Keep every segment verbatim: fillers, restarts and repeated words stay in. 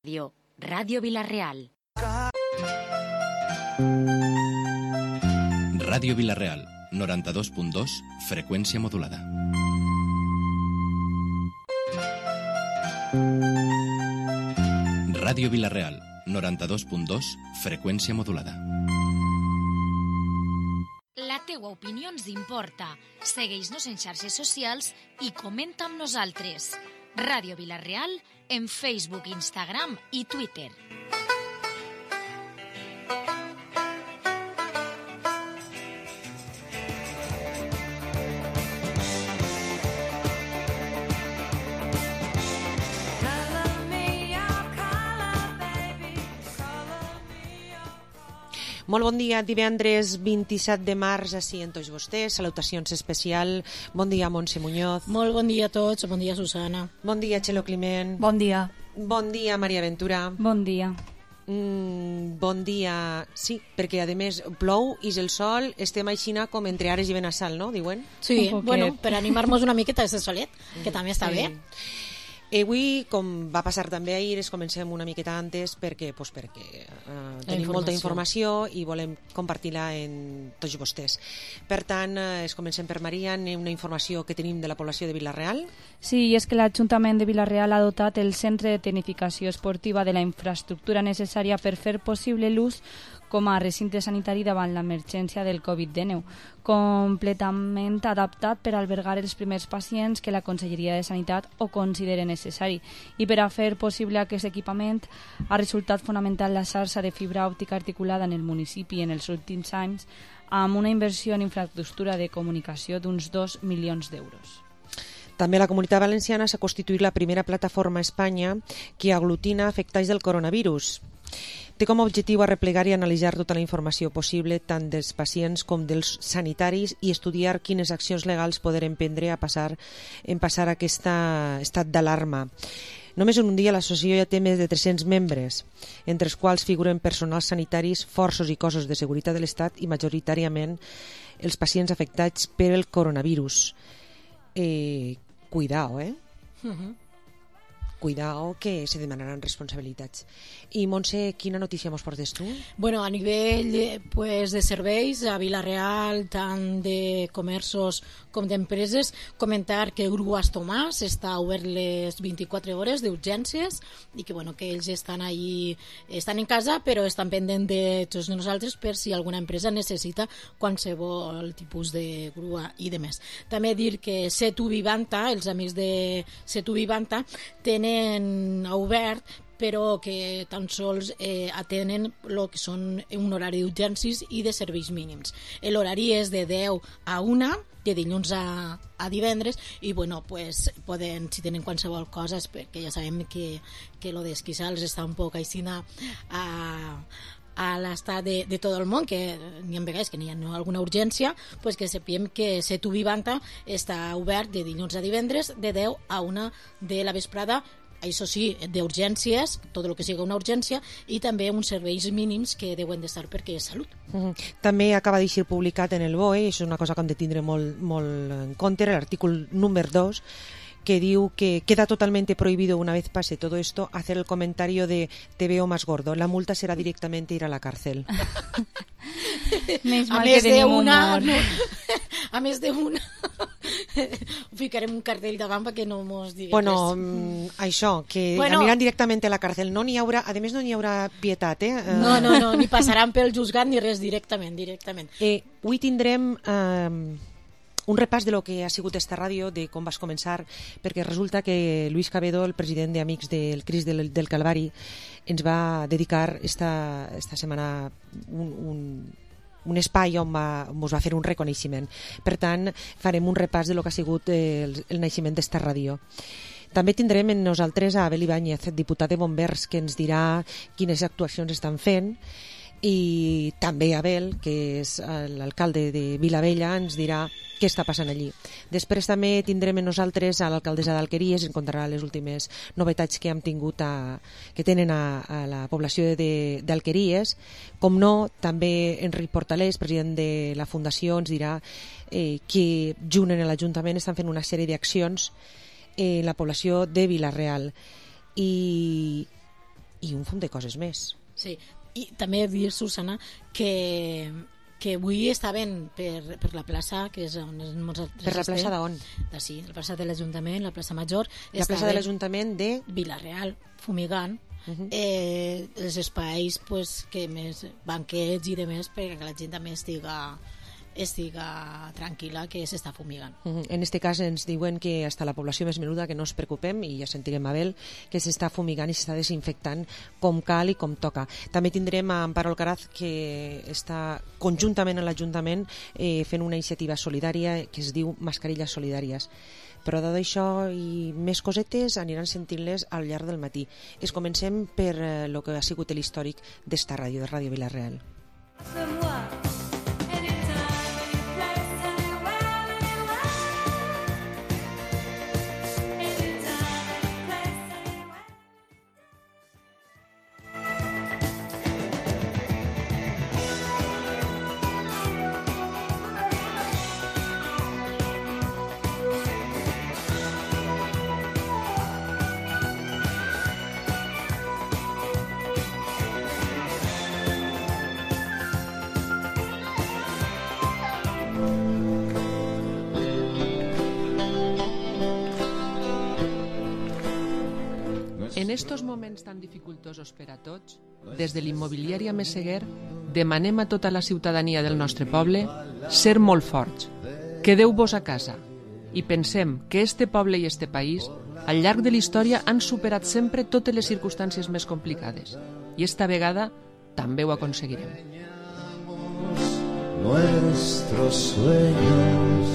Ràdio, Ràdio Vila-real. Ràdio Vila-real, noranta-dos punt dos, freqüència modulada. Ràdio Vila-real, noranta-dos punt dos, freqüència modulada. La teua opinió ens importa. Segueix-nos en xarxes socials i comenta amb nosaltres. Ràdio Vila-real en Facebook, Instagram i Twitter. Molt bon dia, divendres vint-i-set de març, així en tots vostès, salutacions especial. Bon dia, Montse Muñoz. Molt bon dia a tots, bon dia, Susana. Bon dia, Txelo Climent. Bon dia. Bon dia, Maria Ventura. Bon dia. Mm, bon dia, sí, perquè a més plou, ix el sol, estem aixina com entre Ares i Benassal, no, diuen? Sí, bueno, per animar-nos una miqueta de solet, que també està sí. bé. Eh, avui, com va passar també ahir, es comencem una miqueta antes perquè, pues, perquè uh, tenim informació. molta informació i volem compartir-la en tots vostès. Per tant, eh, es comencem per Maria, una informació que tenim de la població de Vila-real. Sí, i és que l'Ajuntament de Vila-real ha dotat el Centre de Tecnificació Esportiva de la infraestructura necessària per fer possible l'ús com a recinte sanitari davant l'emergència del covid dinou, completament adaptat per albergar els primers pacients que la Conselleria de Sanitat ho considere necessari. I per a fer possible aquest equipament ha resultat fonamental la xarxa de fibra òptica articulada en el municipi en els últims anys, amb una inversió en infraestructura de comunicació d'uns dos milions d'euros. També la Comunitat Valenciana s'ha constituït la primera plataforma a Espanya que aglutina afectats del coronavirus. Té com a objectiu arreplegar i analitzar tota la informació possible tant dels pacients com dels sanitaris i estudiar quines accions legals poder emprendre a passar, en passar aquest estat d'alarma. Només en un dia l'associació ja té més de tres-cents membres, entre els quals figuren personals sanitaris, forços i cossos de seguretat de l'Estat i majoritàriament els pacients afectats per el coronavirus. Eh, cuidao, eh? Uh-huh. Cuidao que se demanaran responsabilitats. I Montse, quina notícia mos portes tu? Bueno, a nivell pues, de serveis a Vila-real, tant de comerços com d'empreses, comentar que Grues Tomàs està obert les vint-i-quatre hores d'urgències i que, bueno, que ells estan ahí, estan en casa però estan pendents de tots nosaltres per si alguna empresa necessita qualsevol tipus de grua i de més. També dir que Setu Vivanta, els amics de Setu Vivanta, tenen obert però que tan sols eh, atenen el que són un horari d'urgències i de serveis mínims. L'horari és de deu a una, de dilluns a, a divendres, i bueno, pues, poden, si tenen qualsevol cosa, perquè ja sabem que, que lo d'esquissar els està un poc aixina a... a l'estat de, de tot el món, que n'hi ha vegades que n'hi ha alguna urgència, pues que sapiem que Setu Vivanta està obert de dilluns a divendres de deu a una de la vesprada, això sí, d'urgències, tot el que sigui una urgència, i també uns serveis mínims que deuen d'estar perquè és salut. Uh-huh. També acaba d'eixir publicat en el B O E, i això és una cosa que hem de tindre molt, molt en compte, l'artícul número dos, que diu que queda totalmente prohibido una vez pase todo esto hacer el comentario de te veo más gordo. La multa será directamente ir a la cárcel. Més a mal més que tenim una, humor. no, a més d'una ficarem un cartell davant perquè no mos digui bueno, res. Això, que bueno, aniran directament a la cárcel. No n'hi haurà, a més no n'hi haurà pietat, eh? No, no, no, ni passaran pel juzgat ni res, directament, directament. Eh, avui tindrem... Eh, un repàs de lo que ha sigut esta ràdio, de com vas començar, perquè resulta que Luis Cabedo, el president d'Amics del Crist del, del Calvari, ens va dedicar esta, esta setmana un, un, un espai on, va, on ens va fer un reconeixement. Per tant, farem un repàs de lo que ha sigut el, el naixement d'esta ràdio. També tindrem en nosaltres a Abel Ibáñez, diputat de Bombers, que ens dirà quines actuacions estan fent, i també Abel, que és l'alcalde de Vilavella, ens dirà què està passant allí. Després també tindrem en nosaltres a l'alcaldessa d'Alqueries, ens contarà les últimes novetats que hem tingut a, que tenen a, a la població d'Alqueries. Com no, també Enric Portalés, president de la Fundació, ens dirà eh, que junt en l'Ajuntament estan fent una sèrie d'accions en la població de Vila-real. I i un fum de coses més. Sí, i també dir, Susana, que que avui estaven per, per la plaça, que és on nosaltres Per la plaça d'on? De, sí, la plaça de l'Ajuntament, la plaça Major. La plaça de l'Ajuntament de... Vilareal, fumigant. Uh -huh. eh, els espais pues, que més banquets i demés perquè la gent també estiga estiga tranquil·la que s'està fumigant. Uh -huh. En este cas ens diuen que hasta la població més menuda que no ens preocupem, i ja sentirem Abel, que s'està fumigant i s'està desinfectant com cal i com toca. També tindrem a Amparo Alcaraz, que està conjuntament a l'Ajuntament eh, fent una iniciativa solidària que es diu Mascarilles Solidàries. Però de això i més cosetes aniran sentint-les al llarg del matí. Es comencem per eh, lo que ha sigut l'històric d'esta ràdio, de Ràdio Vila-real. En estos moments tan dificultosos per a tots, des de l'immobiliària Meseguer demanem a tota la ciutadania del nostre poble ser molt forts. Quedeu-vos a casa i pensem que este poble i este país al llarg de la història han superat sempre totes les circumstàncies més complicades i esta vegada també ho aconseguirem. Nuestros sueños.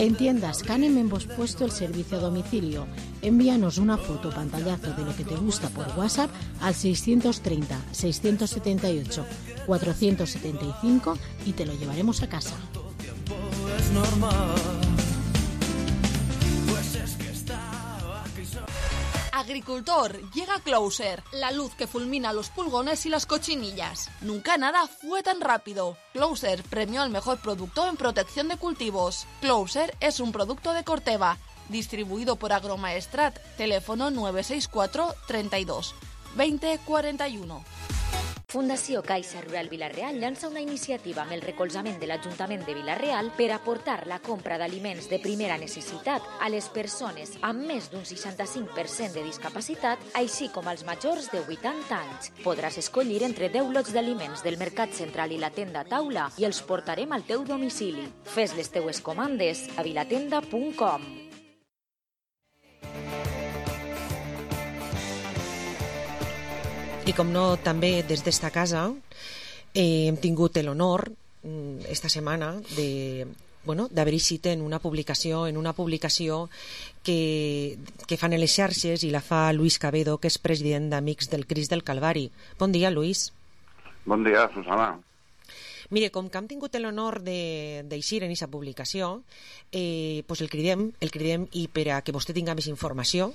En Tiendas Canem hemos puesto el servicio a domicilio. Envíanos una foto o pantallazo de lo que te gusta por WhatsApp al seiscientos treinta, seiscientos setenta y ocho, cuatrocientos setenta y cinco y te lo llevaremos a casa. Agricultor, llega Closer, la luz que fulmina los pulgones y las cochinillas. Nunca nada fue tan rápido. Closer premió al mejor producto en protección de cultivos. Closer es un producto de Corteva, distribuido por Agromaestrat. Teléfono nueve seis cuatro, treinta y dos, veinte cuarenta y uno. Fundació Caixa Rural Vila-real llança una iniciativa amb el recolzament de l'Ajuntament de Vila-real per aportar la compra d'aliments de primera necessitat a les persones amb més d'un seixanta-cinc per cent de discapacitat, així com als majors de vuitanta anys. Podràs escollir entre deu lots d'aliments del Mercat Central i la tenda Taula i els portarem al teu domicili. Fes les teues comandes a vilatenda punt com. I com no, també des d'esta casa eh, hem tingut l'honor esta setmana de bueno, d'haver-hi cita en una publicació en una publicació que, que fan en les xarxes i la fa Luis Cabedo, que és president d'Amics del Crist del Calvari. Bon dia, Luis. Bon dia, Susana. Mire, com que hem tingut l'honor d'eixir en aquesta publicació, eh, pues el cridem, el cridem i per a que vostè tinga més informació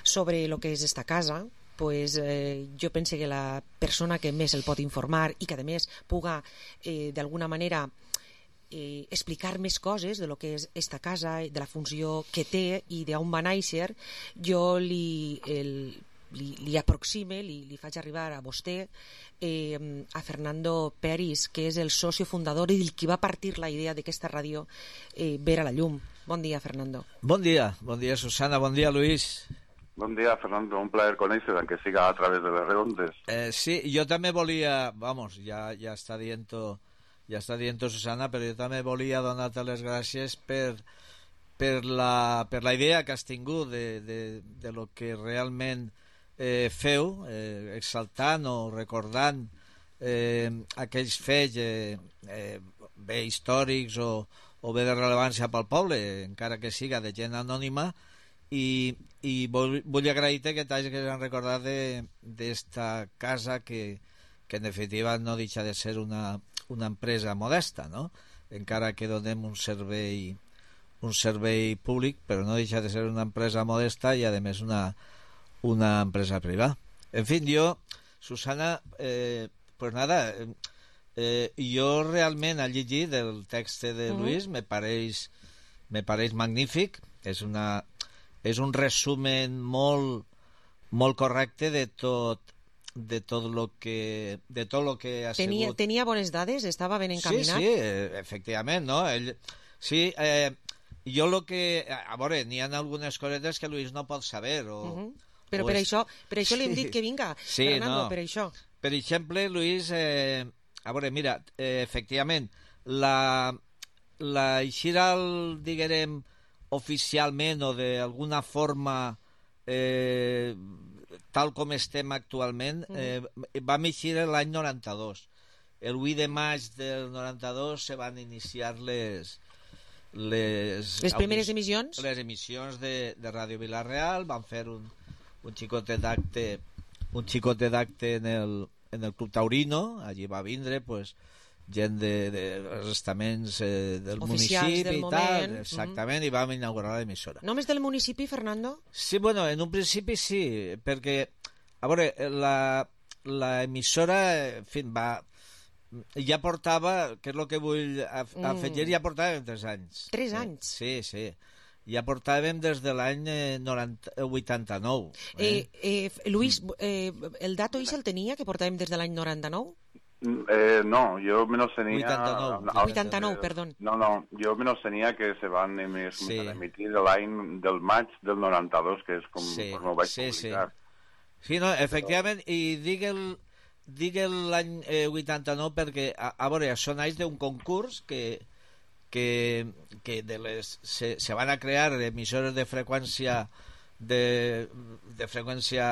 sobre el que és esta casa, pues, eh, jo penso que la persona que més el pot informar i que a més puga eh, d'alguna manera eh, explicar més coses de lo que és esta casa, de la funció que té i d'on va néixer, jo li, el, li, li aproxime, li, li faig arribar a vostè eh, a Fernando Peris, que és el socio fundador i el qui va partir la idea d'aquesta ràdio eh, ver a la llum. Bon dia, Fernando. Bon dia, bon dia, Susana, bon dia, Luis. Bon dia, Fernando, un plaer conèixer, aunque siga a través de les redondes. Eh, sí, jo també volia, vamos, ja, ja està dient-ho, ja està dient-ho Susana, però jo també volia donar-te les gràcies per, per, la, per la idea que has tingut de, de, de lo que realment eh, feu, eh, exaltant o recordant eh, aquells fets eh, eh, bé històrics o, o bé de rellevància pel poble, encara que siga de gent anònima, i, i vull, vull agrair-te que t'hagis recordat d'esta casa que, que en definitiva no deixa de ser una, una empresa modesta, no? Encara que donem un servei un servei públic, però no deixa de ser una empresa modesta i a més una, una empresa privada. En fin, jo, Susana, eh, pues nada, Eh, jo realment al llegir del text de Luis mm. me pareix me pareix magnífic, és una és un resumen molt molt correcte de tot de tot lo que de tot lo que ha tenia, sigut. Tenia bones dades, estava ben encaminat. Sí, sí, efectivament, no? Ell, sí, eh, jo lo que a veure, n'hi ha algunes cosetes que Luis no pot saber o, uh -huh. però o per és... això, per això sí. li hem dit que vinga, sí, Fernando, no. per això. Per exemple, Luis, eh, a veure, mira, eh, efectivament, la, la eixida, diguem, oficialment o d'alguna forma eh, tal com estem actualment, eh, vam eixir l'any noranta-dos. El vuit de maig del noranta-dos se van iniciar les... Les, les primeres emissions? Les emissions de, de Ràdio Vila-real, van fer un, un xicotet d'acte un xicotet d'acte en el, en el Club Taurino, allí va vindre pues, gent de, de estaments eh, del oficials municipi del i moment. tal, exactament, mm-hmm. i vam inaugurar l'emissora. Només del municipi, Fernando? Sí, bueno, en un principi sí, perquè, a veure, la, la emissora, en fi, va... ja portava, que és el que vull afegir, mm. ja portàvem tres anys. Tres anys? Sí, sí. Ja portàvem des de l'any vuitanta-nou. Eh? Eh, eh, Luis, eh, el dato ix el tenia, que portàvem des de l'any noranta-nou? Eh, no, yo menos tenía... vuitanta-nou, vuitanta-nou, perdó. No, no, yo menos tenía que se van emis, sí. a emitir l'any del maig del noranta-dos, que és com, sí. com ho vaig sí, publicar. Sí. sí, no, efectivament, Però... i digue'l Digue l'any eh, vuitanta-nou perquè, a, a veure, això naix d'un concurs que, que, que de les, se, se van a crear emissores de freqüència de, de freqüència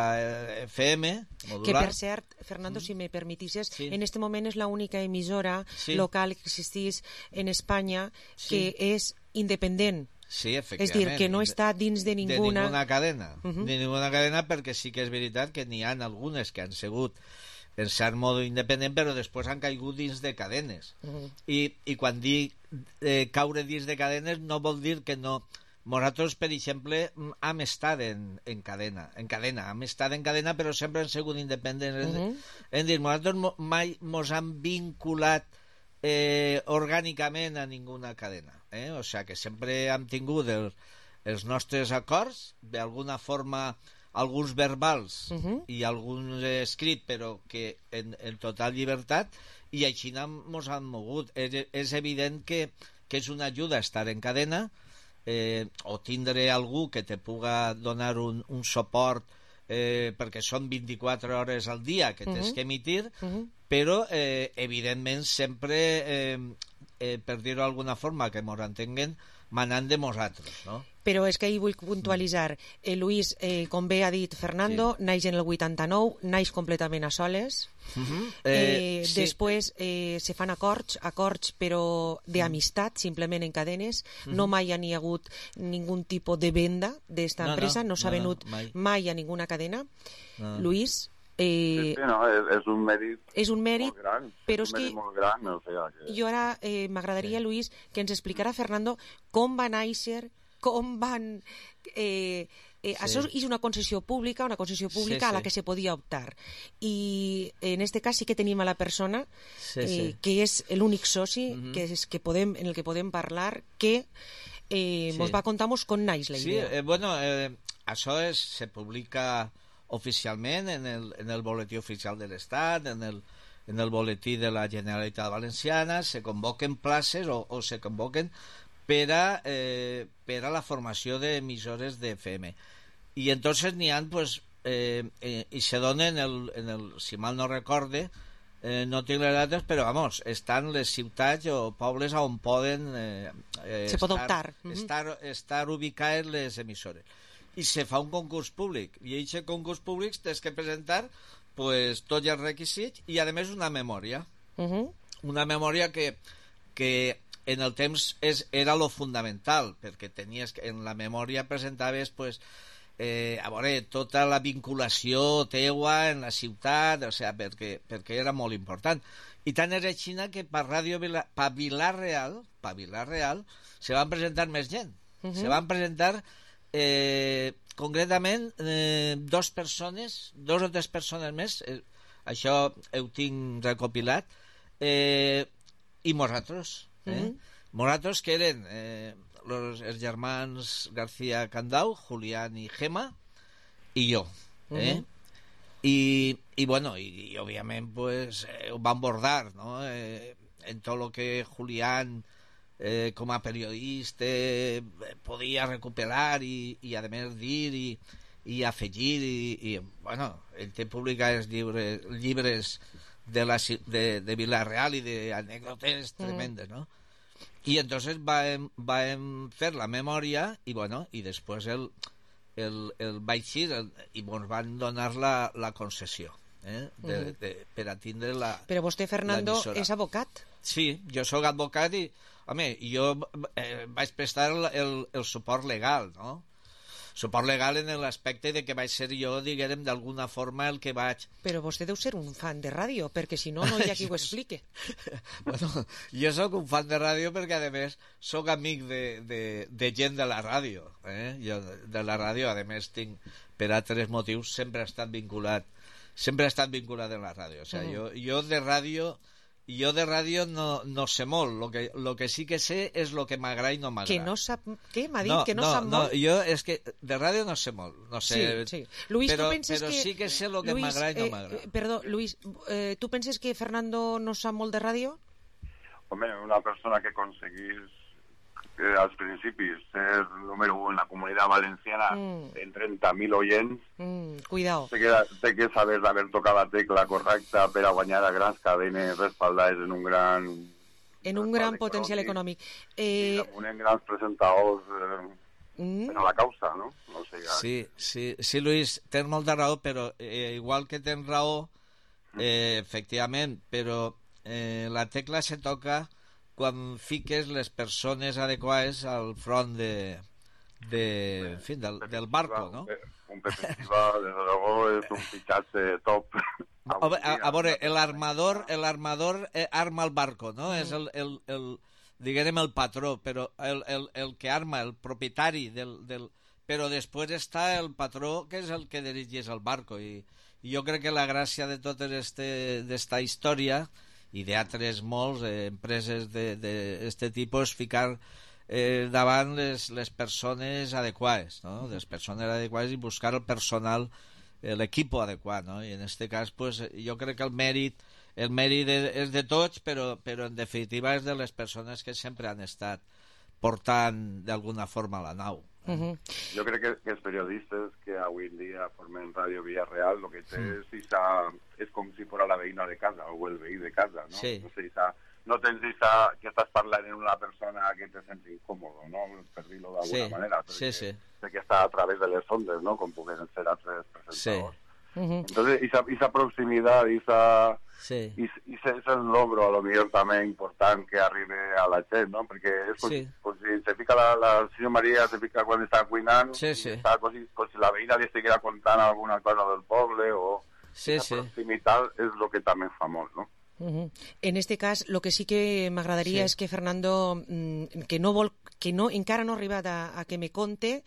F M modular. Que per cert, Fernando, mm. si me permitisses, sí. en este moment és l'única emissora sí. local que existís en Espanya sí. que és independent. Sí, efectivament. És dir, que no està dins de ninguna... De ninguna cadena. Uh -huh. De ninguna cadena, perquè sí que és veritat que n'hi ha algunes que han sigut en cert modo independent, però després han caigut dins de cadenes. Uh -huh. I, i quan dic eh, caure dins de cadenes no vol dir que no... Nosaltres, per exemple, hem estat en, en cadena, en cadena, hem estat en cadena, però sempre hem sigut independents. Uh -huh. En dir, nosaltres mai mos han vinculat eh, orgànicament a ninguna cadena. Eh? O sigui que sempre hem tingut el, els nostres acords, d'alguna forma... alguns verbals uh -huh. i alguns escrits, però que en, en total llibertat, i així ens han mogut. És, és evident que, que és una ajuda estar en cadena, eh, o tindre algú que te puga donar un, un suport, eh, perquè són vint-i-quatre hores al dia que tens uh -huh. que emitir, uh -huh. però eh, evidentment sempre, eh, eh, per dir-ho d'alguna forma, que ens entenguen, manant de nosaltres, no? Però és que ahir vull puntualitzar. Eh, Luis, eh, com bé ha dit Fernando, sí. naix en el vuitanta-nou, naix completament a soles. Uh-huh. eh, eh, sí. Després eh, se fan acords, acords però d'amistat, simplement en cadenes. Uh-huh. No mai ha ni hagut ningú tipus de venda d'esta no, empresa, no, no s'ha no, venut no, mai. mai a ninguna cadena. No. Luis... Eh, sí, sí, no, és, és un mèrit, és un mèrit molt gran, però és un és mèrit que molt gran, o sea, que... jo ara eh, m'agradaria, sí. Luis, que ens explicara, Fernando, com va néixer, com van... Eh, eh, sí. Això és una concessió pública, una concessió pública sí, sí. a la que se podia optar. I en este cas sí que tenim a la persona sí, eh, sí. que és l'únic soci uh-huh. que és que podem, en el que podem parlar, que eh, sí. mos va contar com naix la idea. Sí, eh, bueno, eh, això és, se publica... oficialment en el, en el boletí oficial de l'Estat, en el, en el boletí de la Generalitat Valenciana, se convoquen places o, o se convoquen per a, eh, per a la formació d'emissores de F M. I entonces n'hi ha, pues, eh, eh, i se donen, el, en el, si mal no recorde, eh, no tinc les dates, però vamos, estan les ciutats o pobles on poden eh, eh, se pot optar. estar, estar, estar ubicades les emissores. I se fa un concurs públic, i aquest concurs públic tens que presentar pues, tots els requisits i a més una memòria uh -huh. una memòria que, que en el temps és, era lo fundamental, perquè tenies que, en la memòria presentaves pues, eh, a veure, tota la vinculació teua en la ciutat, o sigui, perquè, perquè era molt important. I tant és així que per Ràdio Vila, per Vila-real, per Vila-real se van presentar més gent. Uh -huh. Se van presentar Eh, concretament eh, dos persones, dos o tres persones més, eh, això ho tinc recopilat, eh, i nosaltres, eh? Mhm. Nosaltres que eren eh, los, els germans García Candau, Julián i Gema, i jo, eh? Mhm. I, i bueno, i, i òbviament pues, eh, ho van bordar, no? Eh, en tot lo que Julián eh, com a periodista eh, podia recuperar i, i a més dir i, i afegir i, i bueno, ell té publicats llibres, llibres de, la, de, de Vila-real i d'anècdotes tremendes, no? I entonces vam, vam fer la memòria i bueno, i després el, el, el vaig dir i ens van donar la, la concessió, eh? de, Mhm. de, per a tindre la Però vostè, Fernando, l'emissora. és advocat. Sí, jo sóc advocat i, home, jo eh, vaig prestar el, el, el suport legal, no? Suport legal en l'aspecte de que vaig ser jo, diguem, d'alguna forma el que vaig... Però vostè deu ser un fan de ràdio, perquè si no, no hi ha qui ho explique. Bueno, jo sóc un fan de ràdio perquè, a més, sóc amic de, de, de gent de la ràdio. Eh? Jo de la ràdio, a més, tinc, per altres motius, sempre he estat vinculat, sempre he estat vinculat en la ràdio. O sigui, Mm. jo, jo de ràdio... Jo de ràdio no, no sé molt, lo que, lo que sí que sé és lo que m'agrada i no m'agrada. Que no sap... Què? M'ha dit no, que no, no sap no, molt? jo és que de ràdio no sé molt, no sé, Sí, sí. Luis, però, tu penses però que... sí que sé lo que Luis, m'agrada i no eh, m'agrada. eh, Perdó, Luis, eh, tu penses que Fernando no sap molt de ràdio? Home, una persona que aconseguís eh, als principis ser número un en la comunitat valenciana Mm. en trenta mil oients, Mm, cuidao. té que, té que saber d'haver tocat la tecla correcta per a guanyar a grans cadenes respaldades en un gran... En un gran potencial econòmic. Eh, I amb uns grans presentadors eh, mm, per a la causa, no? O sigui, Sí, sí, sí, Luis, tens molta raó, però eh, igual que tens raó, eh, efectivament, però eh, la tecla se toca quan fiques les persones adequades al front de, de, en fin, del, del barco, ¿no? Un Pepe Silva, desde luego, es un fichaje top. A, a, a veure, el armador, el armador eh, arma el barco, no? Mm. És el, el, el, diguem, el patró, però el, el, el que arma, el propietari del, del... Però després està el patró, que és el que dirigeix el barco, i, i jo crec que la gràcia de tota aquesta història, i d'altres molts, eh, empreses d'aquest tipus, ficar eh, davant les, les persones adequades, no? Les persones adequades i buscar el personal, l'equip adequat, no? I en aquest cas, pues, jo crec que el mèrit el mèrit és de tots, però, però en definitiva és de les persones que sempre han estat portant d'alguna forma la nau. uh -huh. Jo crec que, que els periodistes que avui en dia formen Ràdio Villarreal, lo que té Mm. és, esa, és com si fos la veïna de casa o el veí de casa, no? Sí. No, sé, esa, no tens esa, que estàs parlant en una persona que te sents incòmodo, no? Per dir-ho d'alguna Sí, manera. sí, sí. Sé que està a través de les ondes, ¿no? Com puguen ser altres Sí. presentadors. Uh -huh. Entonces, esa, esa proximidad, esa... Sí. Y, y ese es el logro, a lo mejor también importante que arribe a la gente, ¿no? Porque es como, Sí. como si se fica la, la señora María, se fica cuando está cuinando, Sí, sí. está como si, como si la veïna li estiguera contant alguna cosa del poble, o Sí, la sí. proximitat és lo que també fa molt, no? Uh -huh. En este cas, lo que sí que m'agradaria Sí. és que Fernando, mm, que no vol, que no, encara no ha arribat a, a que me conte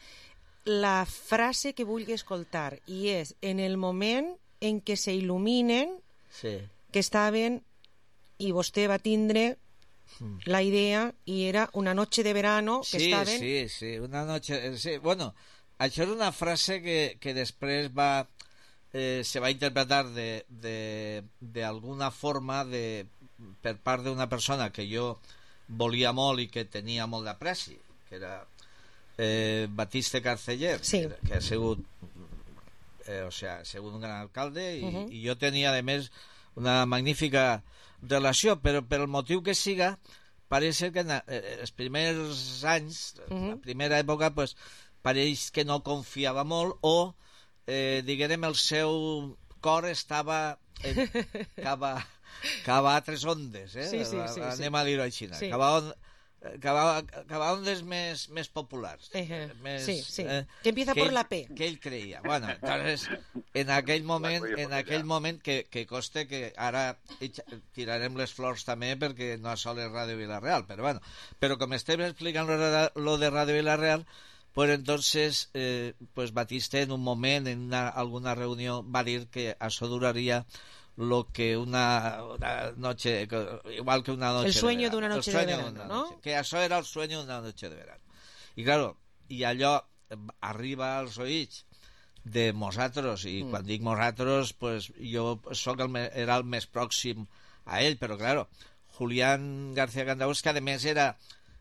la frase que vulgui escoltar, i és en el moment en què se il·luminen Sí. que estaven i vostè va tindre la idea i era una noche de verano que Sí, estaven... sí, sí, una noche... Sí, bueno, això és una frase que, que després va... Eh, se va interpretar de, de, de alguna forma de, per part d'una persona que jo volia molt i que tenia molt d'apreci, que era eh, Batiste Carceller, Sí. que, que ha sigut eh, o sea, ha sigut un gran alcalde i, Uh -huh. i jo tenia a més una magnífica relació, però per el motiu que siga pareix ser que en eh, els primers anys, Uh -huh. la primera època, pues, pareix que no confiava molt o, eh, diguem, el seu cor estava en, cava, cava altres ondes, eh? Sí, sí, sí, anem sí. a dir-ho així, Sí. cava, on, cava, cava ondes més, més populars, Eh, més, sí, sí. eh, Que empieza por ell- la P. que ell creia. Bueno, entonces, en aquell moment, en aquell moment que, que coste que ara echa- tirarem les flors també perquè no sol és Ràdio Vila-real, però bueno, però com estem explicant lo de, lo de Ràdio Vila-real, pues entonces eh, pues Batiste en un moment en una, alguna reunió va dir que això duraria lo que una, una noche, igual que una noche el sueño de d'una noche de verano, ¿no? Noche, que això era el sueño d'una noche de verano. I claro, i allò arriba als oïts de nosaltres, i mm. quan dic nosaltres, pues, jo soc el, era el més pròxim a ell, però claro, Julián García Candaús, que a més era,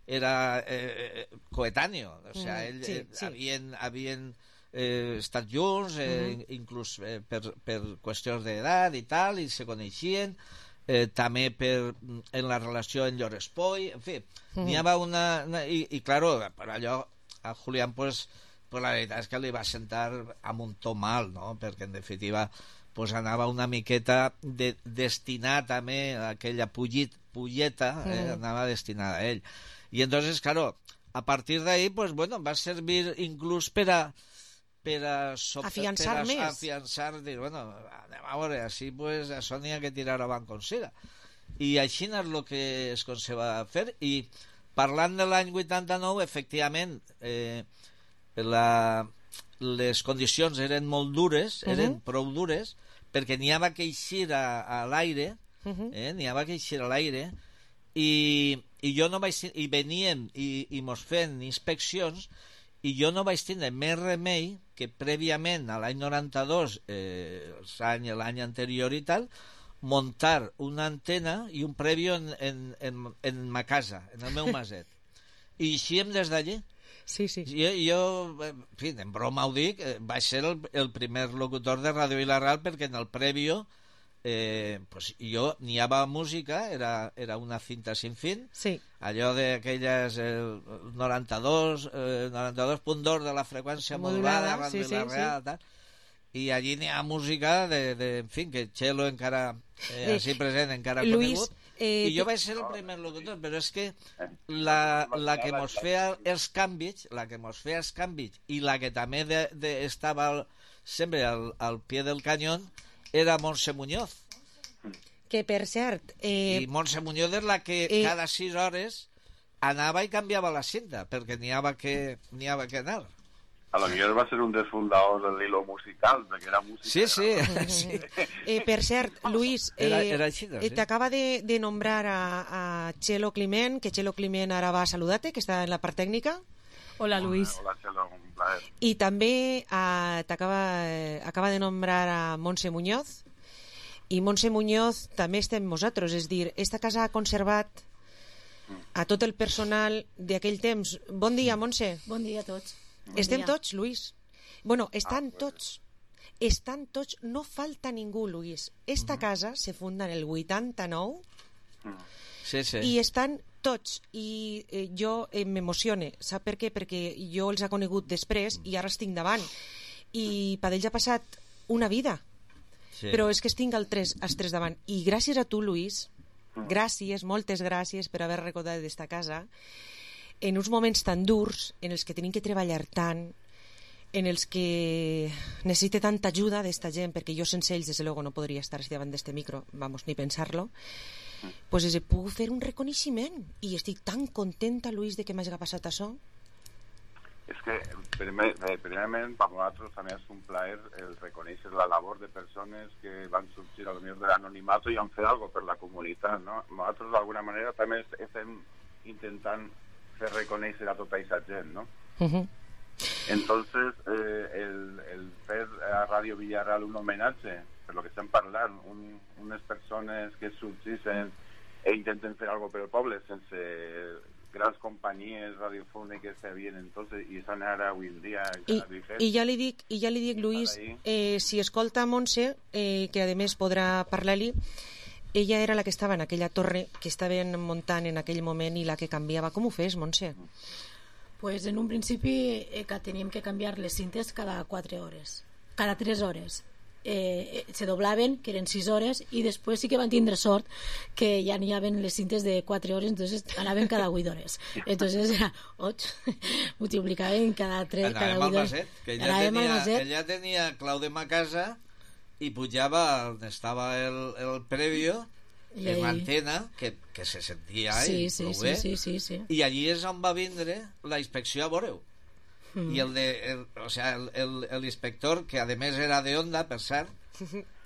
era eh, coetáneo, o sea, ell, mm, sí, sí. havien, havien eh, estat junts, eh, mm-hmm. inclús eh, per, per qüestions d'edat i tal, i se coneixien, eh, també per, en la relació en Llor Espoi, en fi, mm-hmm. n'hi havia una... una i, i claro, per allò, a Julián, pues, pues la veritat és que li va sentar amb un to mal, no? Perquè en definitiva pues anava una miqueta de, destinat també a aquella pullit, pulleta, eh, mm. anava destinada a ell. I entonces, claro, a partir d'ahí, pues bueno, va servir inclús per a per a, sobre, afiançar per a, més. Afiançar, dir, bueno, anem a veure, així pues això n'hi ha que tirar avant com siga. I així és el que es va fer, i parlant de l'any vuitanta-nou, efectivament, eh, la, les condicions eren molt dures, eren uh-huh. prou dures, perquè n'hi havia que eixir a, a l'aire, uh-huh. eh, n'hi havia que eixir a l'aire, i, i jo no vaig... i veníem i, i mos fent inspeccions, i jo no vaig tindre més remei que prèviament a l'any noranta-dos, eh, l'any anterior i tal, muntar una antena i un prèvio en, en, en, en ma casa, en el meu maset. I eixíem des d'allí. Sí, sí. Jo, jo, en fi, en broma ho dic, vaig ser el, el primer locutor de Ràdio Vila-real, perquè en el prèvio eh, pues jo n'hi havia música, era, era una cinta sin fin, sí. allò d'aquelles eh, noranta-dos eh, noranta-dos punt dos de la freqüència modulada, Ràdio sí, Vila-real, sí, sí. I allí n'hi ha música de, de, en fi, que Txelo encara eh, així present, encara Luis, conegut, eh, i jo vaig ser el primer locutor, però és que la, la que mos feia els canvis, la que mos feia els canvis, i la que també de, de, estava al, sempre al, al pie del canyón, era Montse Muñoz. Que per cert... Eh, I Montse Muñoz és la que eh, cada sis hores anava i canviava la cinta, perquè n'hi havia que, n'hi havia que anar. A lo millor va ser un dels fundadors del hilo musical, perquè era música. Sí, sí. sí. Eh, per cert, Luis, eh, era, era així, no? Sí. T'acaba de, de nombrar a, a Txelo Climent, que Txelo Climent ara va a saludar-te, que està en la part tècnica. Hola, Luis. Hola, Txelo, un plaer. I també eh, t'acaba eh, acaba de nombrar a Montse Muñoz, i Montse Muñoz també està amb nosaltres, és dir, esta casa ha conservat a tot el personal d'aquell temps. Bon dia, Montse. Bon dia a tots. Bon Estem dia. tots, Luis. Bueno, estan ah, tots. Estan tots, no falta ningú, Luis. Esta mm. casa se funda en el vuitanta-nou sí, sí. i estan tots. I eh, jo eh, m'emocione. Sap per què? Perquè jo els ha conegut després i ara estic davant. I per ells ha passat una vida. Sí. Però és que estic al tres, als tres davant. I gràcies a tu, Luis, gràcies, moltes gràcies per haver recordat d'esta casa, en uns moments tan durs, en els que tenim que treballar tant, en els que necessite tanta ajuda d'esta gent, perquè jo sense ells, des de luego, no podria estar davant d'este micro, vamos, ni pensar-lo, pues he pogut fer un reconeixement, i estic tan contenta, Luis, de que m'hagi passat això. És que, primer, primerament, per nosaltres també és un plaer el reconèixer la labor de persones que van sorgir a lo millor de l'anonimato i han fet alguna per la comunitat, no? Nosaltres, d'alguna manera, també estem intentant fer reconèixer a tota aquesta gent, no? Uh-huh. Entonces, eh, el, el fer a Ràdio Villarreal un homenatge, per lo que estem parlant, un, unes persones que sorgeixen e intenten fer alguna per al poble sense grans companyies radiofòniques que havien entonces i estan ara avui en dia I, i ja li dic, i ja li dic Luis, eh, si escolta Montse, eh, que a més podrà parlar-li, ella era la que estava en aquella torre que estaven muntant en aquell moment i la que canviava. Com ho fes, Montse? Pues en un principi eh, que teníem que canviar les cintes cada quatre hores, cada tres hores. Eh, se doblaven, que eren sis hores, i després sí que van tindre sort que ja n'hi havia les cintes de quatre hores, entonces anaven cada vuit hores. Entonces era ocho, multiplicaven cada tres, cada vuit hores. Maset, que ella tenia, ella tenia clau de ma casa i pujava on estava el, el prèvio, en l'antena, que, que se sentia sí, ell, sí, prou sí, bé, sí, sí, sí. i allí és on va vindre la inspecció a veure-ho. mm. i el de el, o sea, el, el, el inspector, que además era de Onda, per cert,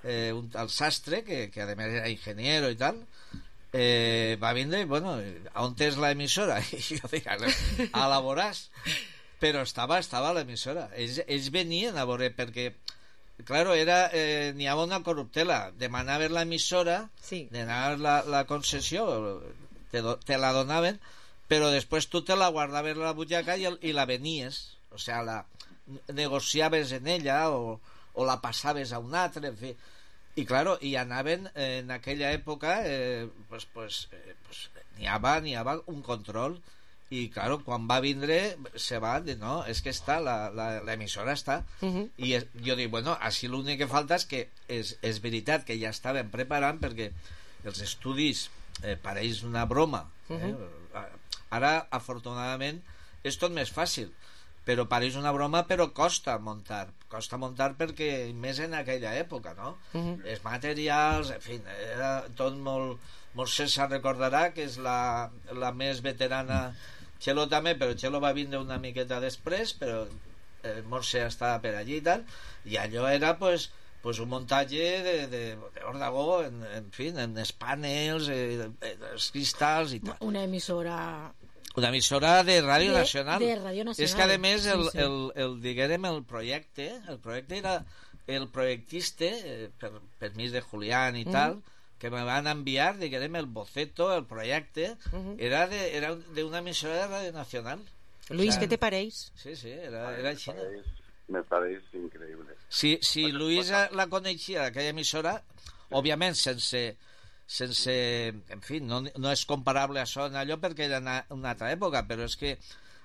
eh, un, el sastre, que, que además era ingeniero i tal, eh, va vindre i, bueno, on és l'emissora? I jo dic, a la voràs. Però estava, estava a l'emissora. Ells, ells venien a veure, perquè claro, era, eh, n'hi havia una corruptela. Demanaven l'emissora, sí. demanaven la, la concessió, te, te la donaven, però després tu te la guardaves a la butxaca i, i la venies, o sea, la negociaves en ella o, o la passaves a un altre, en fi. I claro, i anaven eh, en aquella època, eh, pues, pues, eh, pues, n'hi havia, n'hi havia un control. I claro, quan va vindre se va dir, no, és que està l'emissora està, uh-huh. i es, jo dic, bueno, així l'únic que falta és que és, és veritat que ja estaven preparant, perquè els estudis eh, pareix una broma, uh-huh. eh? Ara afortunadament és tot més fàcil, però pareix una broma, però costa muntar, costa muntar perquè més en aquella època, no? Uh-huh. Els materials, en fi, era tot molt, molt César recordarà que és la, la més veterana. Txelo també, però Txelo va vindre una miqueta després, però eh, Montse estava per allí i tal, i allò era pues, pues un muntatge de, de, de Ordagó, en, en fi, en els panels, eh, els cristalls i tal. Una emissora... Una emissora de Ràdio de, Nacional. De Ràdio Nacional. És que a més el, sí, sí. el, el, diguérem, el projecte, el projecte era el projectista, eh, per permís de Julián i mm. tal, que me van enviar, diguem, el boceto, el projecte, uh-huh. era de era de una emissora de Radio Nacional. Luis, o sea, ¿qué te pareix? Sí, sí, era, era així. Me pareix increïble. Si, si Luis la coneixia, aquella emissora, òbviament sense, sense en fi, no, no és comparable a això en allò perquè era una, una altra època, però és que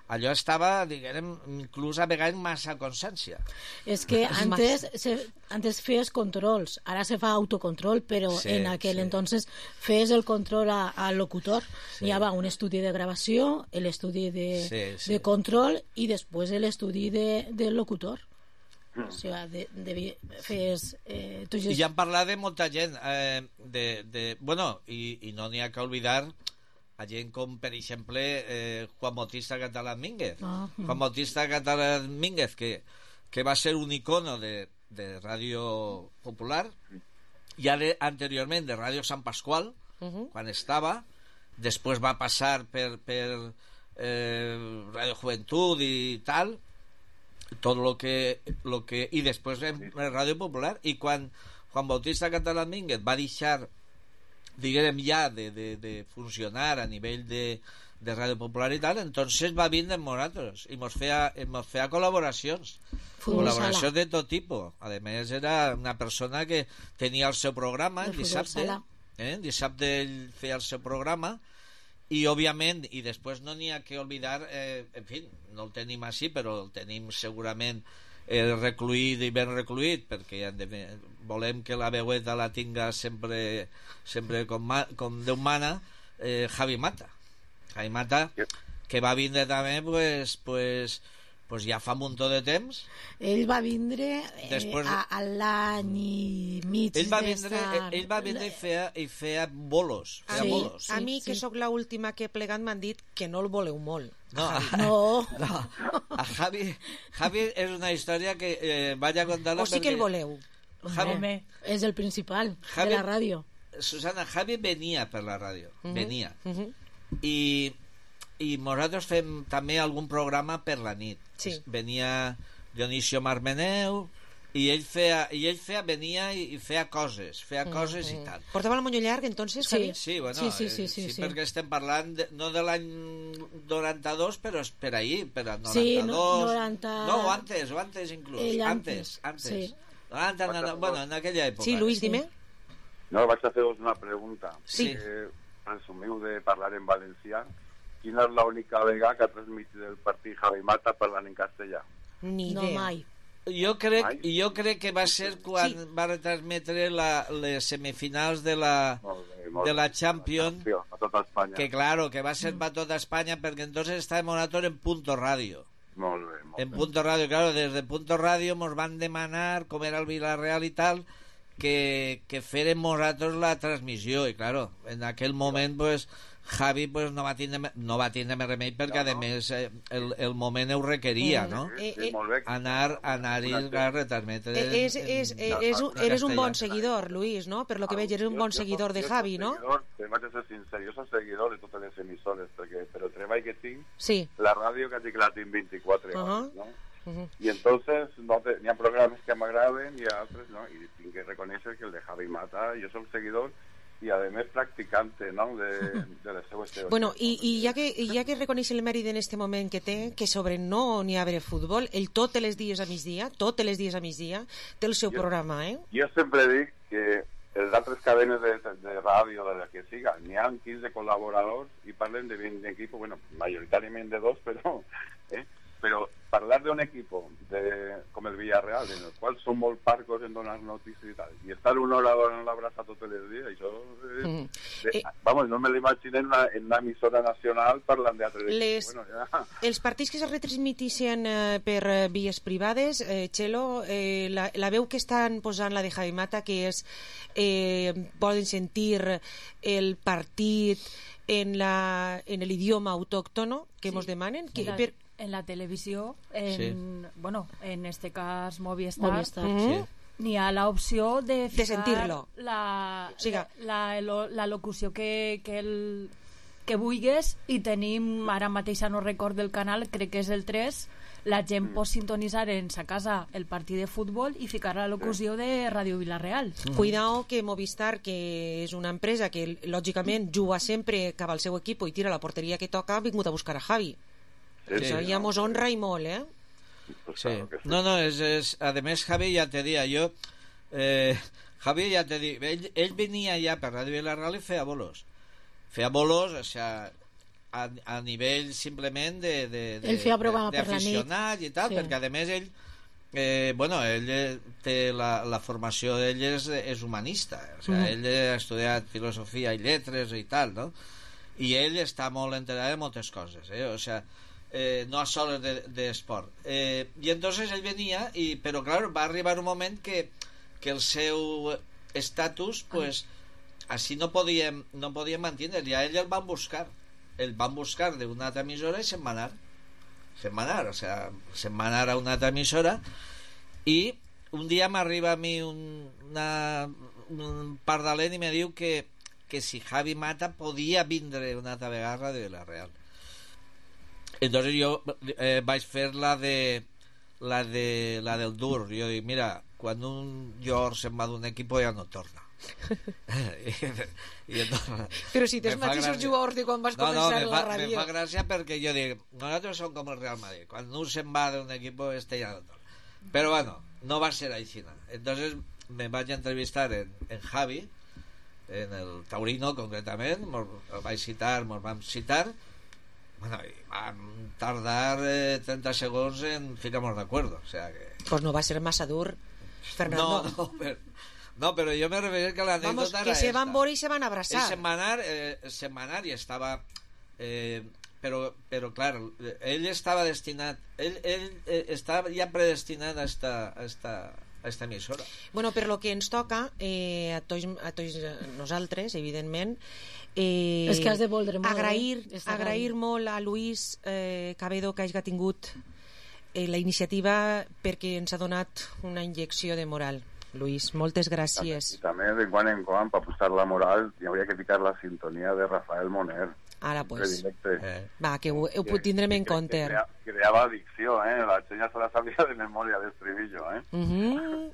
allò estava, diguem, inclús a vegades massa consciència. És que antes, se, antes feies controls, ara se fa autocontrol, però sí, en aquell sí. entonces feies el control al locutor. Sí. Hi havia un estudi de gravació, l'estudi de, sí, sí. de control i després l'estudi de, del locutor. Mm. O sigui, de, de, feies... Eh, tu I ja hem parlat de molta gent, eh, de, de, bueno, i, i no n'hi ha que oblidar a gent com, per exemple, eh, Juan Bautista Catalán Mínguez. Ah, mm. Juan Bautista Catalán Mínguez, que, que va ser un icono de, de Ràdio Popular, ja de, anteriorment de Ràdio Sant Pasqual, uh-huh. quan estava, després va passar per, per eh, Ràdio Juventud i tal, tot lo que, lo que... i després en Ràdio Popular, i quan Juan Bautista Catalán Mínguez va deixar, diguem, ja de, de, de funcionar a nivell de, de Ràdio Popular i tal, entonces va vindre amb nosaltres i mos feia, mos feia col·laboracions Futbol col·laboracions sala. De tot tipus. A més era una persona que tenia el seu programa el dissabte, eh? dissabte ell feia el seu programa i òbviament, i després no n'hi ha que oblidar, eh, en fi, no el tenim així però el tenim segurament eh, recluït i ben recluït perquè volem que la veueta la tinga sempre, sempre com, ma, com Déu mana, eh, Javi Mata Javi Mata que va vindre també pues, pues, pues ja fa un muntó de temps. Ell va vindre eh, Després, a, a l'any i mig ell va vindre, ell, ell va vindre i feia, i feia bolos, feia sí, bolos. A mi, sí. que sóc l'última que he plegat, m'han dit que no el voleu molt. No, a, no. no. A Javi, Javi és una història que eh, vaig a contar-la o sí que el voleu. Javi, és el principal Javi, de la ràdio. Susana, Javi venia per la ràdio, uh-huh. venia. Uh-huh. I, i nosaltres fem també algun programa per la nit. Sí. Venia Dionisio Marmeneu i ell feia, i ell feia venia i, i feia coses, feia mm, coses mm. i tal. Portava el moño llarg, entonces? Sí, sí, bueno, sí, sí, sí, eh, sí, sí, sí. perquè estem parlant de, no de l'any noranta-dos, però és per ahir, per a noranta-dos. Sí, no, noranta... no, o antes, o antes inclús. Ell antes, antes. Sí. noranta, noranta, bueno, en aquella època. Sí, Luis, dime. No, vaig a fer-vos una pregunta. Sí. Eh, presumiu de parlar en valencià. Quina és l'única vegada que ha transmitit el partit Javi Mata parlant en castellà? Ni idea. No, mai. Jo crec, jo crec que va ser quan sí. va retransmetre la, les semifinals de la, molt bé, molt de la Champions, a tota Espanya. Que claro, que va ser mm. para tota Espanya perquè entonces estàvem nosaltres en Punto Radio. Molt bé, molt en bé. Punto Radio, claro, desde Punto Radio nos van demanar, com era el Villarreal i tal, que, que férem nosaltres la transmissió, i claro, en aquell moment pues Javi pues, no, va tindre, no va tindre més remei perquè, no, no. a més, eh, el, el moment ho requeria, mm. no? Sí, sí, molt bé. Anar, anar-hi a retransmetre. Eh, és, és, és, és, eres un bon seguidor, Luis, no? Per lo que veig, eres un bon seguidor de Javi, no? Jo vaig a ser sincer, jo soc seguidor de totes les emissores, perquè per el treball que tinc, sí. la ràdio quasi que la tinc vint-i-quatre uh-huh. hores, no? Uh-huh. Y entonces no te, hi ha programes que m'agraden i altres, no? I tinc que reconèixer que el de Javi Mata, jo soc seguidor i a més practicante, no? de, de les seues teories. Bueno, i, i ja que, ja que reconeix el mèrit en este moment que té, que sobre no n'hi ha haver futbol, ell tots els dies a migdia, tots els dies a migdia, té el seu jo, programa, eh? Jo sempre dic que les altres cadenes de, de, de ràdio, de la que siga, n'hi ha quinze col·laboradors i parlen de vint equipos, bueno, majoritàriament de dos, però... Eh? Però parlar d'un equip de, com el Villarreal, en el qual són molt parcos en donar notícies i tal, i estar una hora donant l'abraç tots els dies, això és, mm. de, eh, vamos, no me l'imagino en, en una emissora nacional parlant d'altres les, bueno, ja. Els partits que es retransmitixen eh, per eh, vies privades, eh, Txelo, eh, la, la veu que estan posant la de Javi Mata, que és eh, poden sentir el partit en l'idioma autòctono que sí. Mos demanen que, la... per, en la televisió, en, sí. bueno, en este cas Movistar, Movistar. Mm-hmm. sí. N'hi ha l'opció de de sentir-lo, la, o sigui, la, la, la locució que, que, el, que vulguis, i tenim, ara mateix no record del canal, crec que és el tres, la gent pot sintonitzar en sa casa el partit de futbol i ficar la locució de Ràdio Vilareal. Mm. Cuidao que Movistar, que és una empresa que lògicament juga sempre cap al seu equip i tira la porteria que toca, ha vingut a buscar a Javi. Sí, això ja mos honra i molt, eh? Sí. No, no, és, és, a més Javi ja te dia, jo eh, Javi ja te dia, ell, ell venia ja per Ràdio Vilareal i feia bolos feia bolos, o sea, a, a nivell simplement de, de, de, ell feia programa per la nit i tal, sí. perquè a més ell eh, bueno, ell té la, la formació d'ell és, és humanista, o sea, mm. ell ha estudiat filosofia i lletres i tal, no? I ell està molt enterat de moltes coses, eh? O sea, Eh, no a soles d'esport de, de eh, i entonces ell venia i, però clar, va arribar un moment que, que el seu estatus pues, així no podíem no podíem mantenir, i a ell el van buscar el van buscar d'una altra emissora i se'n va anar se'n va anar, o sea, se'n va anar a una altra emissora i un dia m'arriba a mi un, una, un pardalent i me diu que, que si Javi Mata podia vindre una altra vegada de Vilareal. Entonces yo eh, vaig fer la de la de la del dur. Jo dic, mira, quan un jugador se'n va d'un equip ja no torna. I, i entonces, però si tens mateixos jugadors de quan vas no, començar no, la fa, ràdio. Me fa gràcia perquè jo dic, nosaltres som com el Real Madrid, quan un se'n va d'un equip este ja no torna. Però bueno, no va ser així. Entonces me vaig entrevistar en, en Javi, en el Taurino concretament, mos, el vaig citar, mos vam citar. Bueno, y van tardar eh, treinta segons en ficarnos de acuerdo, o sea que... Pues no va a ser massa dur, Fernando. No, no, pero, no, pero yo me refería que la anécdota que era se esta. van veure y se van a abrazar. El semanar, eh, semanar y estaba... Eh, pero, pero claro, él estaba destinat... Él, él eh, estaba ya predestinat a esta... A esta a esta emissora. Bueno, per lo que ens toca eh, a, tots, a tots nosaltres, evidentment, eh, és que has de voldre molt, agrair, eh? agrair molt a Luis eh, Cabedo que hagi tingut eh, la iniciativa perquè ens ha donat una injecció de moral. Luis, moltes gràcies. I també de quan en quan, per posar la moral, hi hauria que ficar la sintonia de Rafael Moner. Ara, pues. Eh. Va, que ho, ho que, tindrem en compte. Que, que creava addicció, eh? La gent ja se la sabia de memòria d'estribillo, eh? Uh -huh.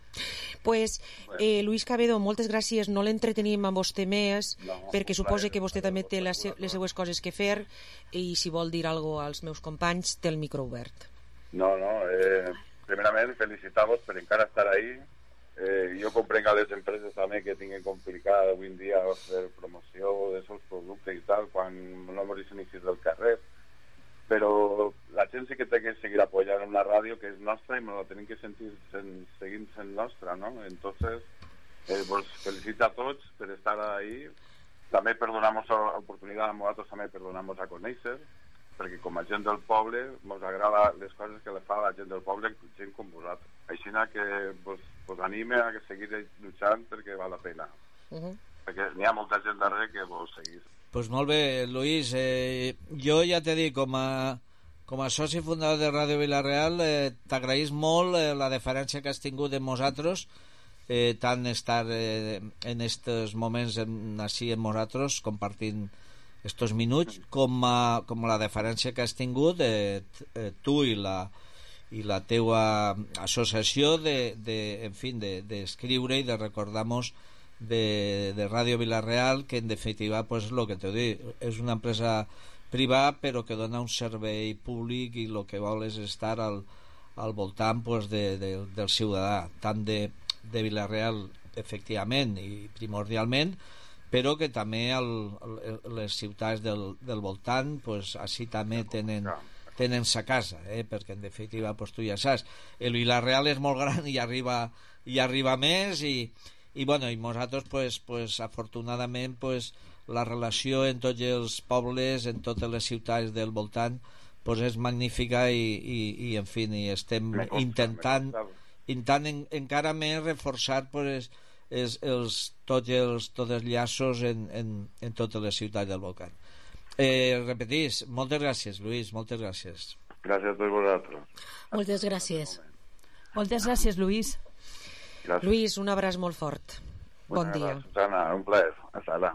Pues, eh, Luis Cabedo, moltes gràcies. No l'entretenim amb vostè més, no, perquè suposo que vostè també té les, les seues coses que fer, i si vol dir alguna cosa als meus companys, té el micro obert. No, no, eh, primerament felicitar-vos per encara estar ahí. Eh, jo comprenc a les empreses també que tinguin complicat avui en dia fer promoció dels seus productes i tal, quan no moris inicis del carrer, però la gent sí que té que seguir apoyant una ràdio que és nostra i no la tenim que sentir sen, seguint sent nostra, no? Entonces, eh, vos felicito a tots per estar ahí, també per donar-nos l'oportunitat a nosaltres també per donar-nos a conèixer, perquè com a gent del poble ens agrada les coses que le fa a la gent del poble, gent com vosaltres. Així que vos, vos anime a que seguir luchant perquè val la pena. Uh -huh. Perquè n'hi ha molta gent darrere que vos seguís. pues molt bé, Lluís. Eh, jo ja t'he dit, com a, com a soci fundador de Ràdio Vila-real, eh, t'agraïs molt eh, la deferència que has tingut amb nosaltres, eh, tant estar eh, en estos moments en, així amb nosaltres, compartint estos minuts, com, a, com la deferència que has tingut eh, eh, tu i la, i la teua associació de, de, en fin, d'escriure de, de i de recordar-nos de, de Ràdio Vila-real, que en definitiva pues, lo que t'ho dic, és una empresa privada però que dona un servei públic i el que vol és estar al, al voltant pues, de, de, del ciutadà, tant de, de Vila-real efectivament i primordialment, però que també el, el, les ciutats del, del voltant pues, així també tenen tenen sa casa, eh? Perquè en definitiva pues, tu ja saps, el Vila-real és molt gran i arriba, i arriba més i, i, bueno, i nosaltres pues, pues, afortunadament pues, la relació en tots els pobles, en totes les ciutats del voltant pues, és magnífica i, i, i en fi, i estem intentant intentant en, encara més reforçar pues, és, els, tots, els, tots els llaços en, en, en totes les ciutats del voltant. Eh, repetís, moltes gràcies, Lluís, moltes gràcies. Gràcies a tots vosaltres. Moltes gràcies. Moltes gràcies, Lluís. Gràcies. Lluís, un abraç molt fort. Bon Bona dia. Susana, un plaer. Hasta ara.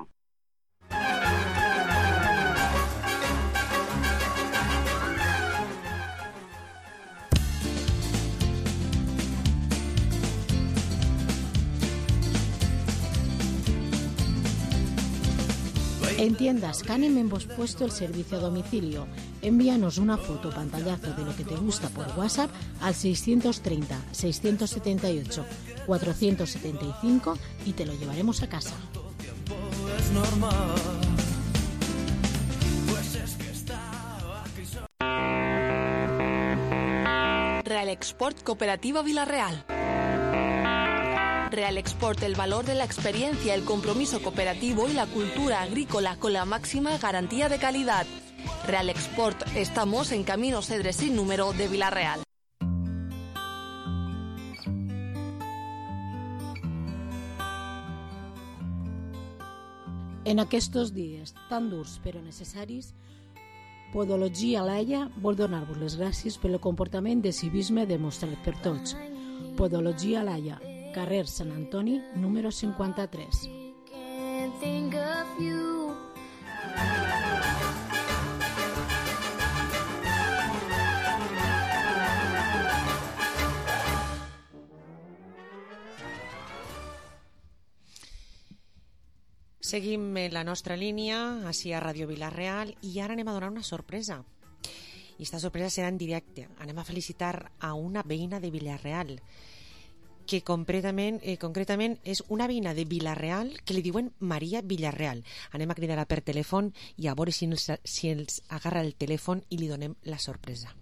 En Tiendas Canem hemos puesto el servicio a domicilio. Envíanos una foto o pantallazo de lo que te gusta por WhatsApp al seiscientos treinta, seiscientos setenta y ocho, cuatrocientos setenta y cinco y te lo llevaremos a casa. Real Export Cooperativa Vila-real. Real Export, el valor de la experiencia, el compromiso cooperativo y la cultura agrícola con la máxima garantía de calidad. Real Export, estamos en Camino Cedre sin número de Vila-real. En aquests dies tan durs però necessaris, Podologia Laia vol donar-vos les gràcies pel comportament de civisme demostrat per tots. Podologia Laia, carrer Sant Antoni, número cinquanta-tres. Seguim en la nostra línia, així a Ràdio Vila-real, i ara anem a donar una sorpresa. I aquesta sorpresa serà en directe. Anem a felicitar a una veïna de Vila-real, que concretament, eh, concretament és una veïna de Vila-real que li diuen Maria Villarreal. Anem a cridar-la per telèfon i a veure si ens, si ens agarra el telèfon i li donem la sorpresa.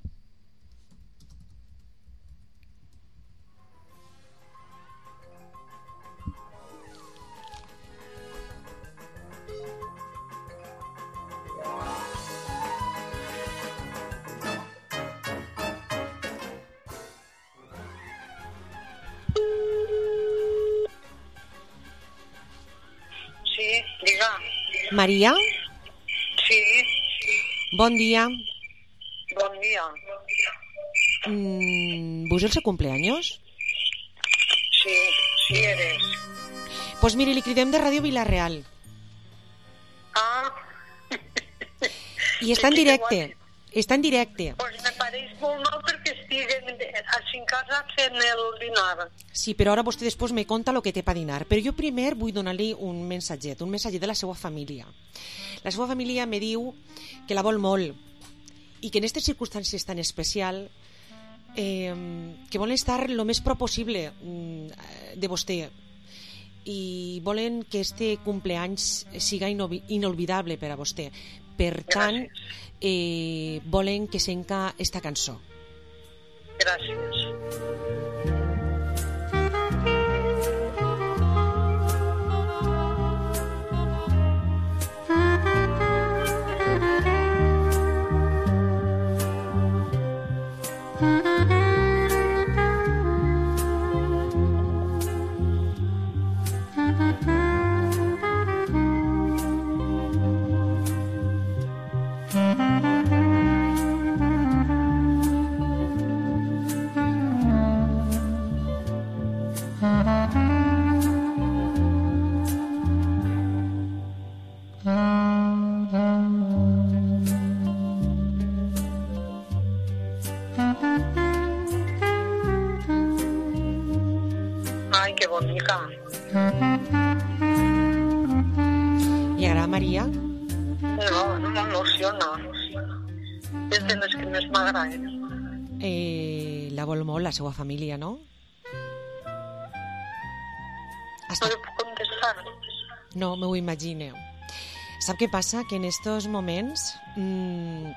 Maria? Sí. Bon dia. Bon dia. Mm, ¿Vos el seu cumpleaños? Sí, sí eres. Pues mire, li cridem de Ràdio Vila-real. Ah. I està en directe. Està en directe. Pues me pareix molt mal perquè estic així en casa fent el dinar. Sí, però ara vostè després me conta el que té per dinar. Però jo primer vull donar-li un mensatget, un mensatget de la seva família. La seva família me diu que la vol molt i que en aquestes circumstàncies tan especial eh, que volen estar el més prop possible de vostè i volen que este cumpleaños siga inolvidable per a vostè. Per tant, eh, volen que senca esta cançó. Gràcies. Ai, que bonica. Li agrada, Maria? No, no m'emociona. És de les que més m'agraden. Eh, la vol molt, la seva família, no? No li puc contestar. No, m'ho imagineu. Sap què passa? Que en estos moments mmm,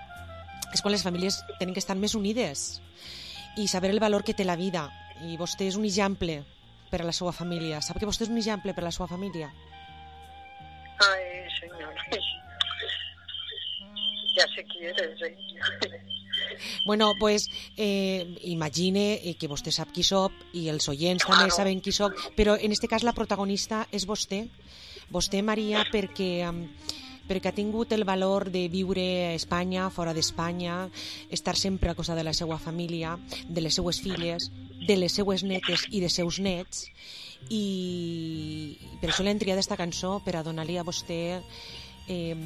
és quan les famílies tenen que estar més unides i saber el valor que té la vida. I vostè és un exemple per a la seva família. Sap que vostè és un exemple per a la seva família? Ai, senyor. Ja sé qui eres, eh? Bueno, pues eh, imagine que vostè sap qui soc i els oients claro. També saben qui soc, però en este cas la protagonista és vostè. Vostè, Maria, perquè, perquè ha tingut el valor de viure a Espanya, fora d'Espanya, estar sempre a cosa de la seva família, de les seues filles, de les seues netes i de seus nets, i per això l'hem triat esta cançó, per a donar-li a vostè eh,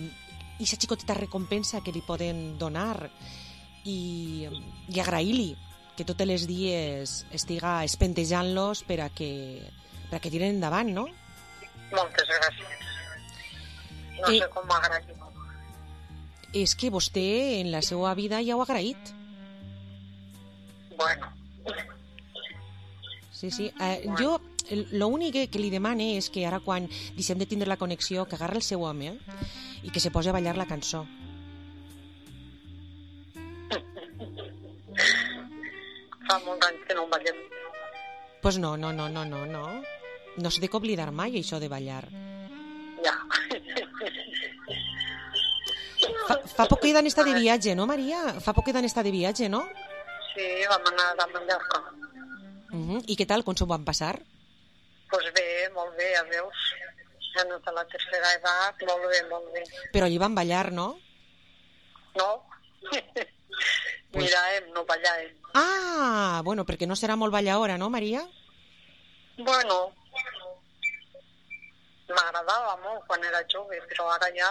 aquesta xicoteta recompensa que li poden donar i, i agrair-li que tots els dies estiga espentejant-los per a que, per a que tiren endavant, no? Moltes gràcies. No eh, sé com m'agraïm. És que vostè en la seva vida ja ho ha agraït. Bueno. Sí, sí. Eh, bueno. Jo l'únic que li demane és que ara quan deixem de tindre la connexió que agarra el seu home i que se posi a ballar la cançó. Fa molt anys que no ballem. Pues no, no, no, no, no, no. No s'ha de oblidar mai això de ballar. Ja. Fa, fa poc que han estat de viatge, no, Maria? Fa poc que han estat de viatge, no? Sí, vam anar a Mallorca. Uh-huh. I què tal? Com s'ho van passar? Pues bé, molt bé, ja veus. Ja no té la tercera edat, molt bé, molt bé. Però allí van ballar, no? No. Pues... Miràvem, no ballàvem. Ah, bueno, perquè no serà molt balladora, no, Maria? Bueno, m'agradava molt quan era jove, però ara ja...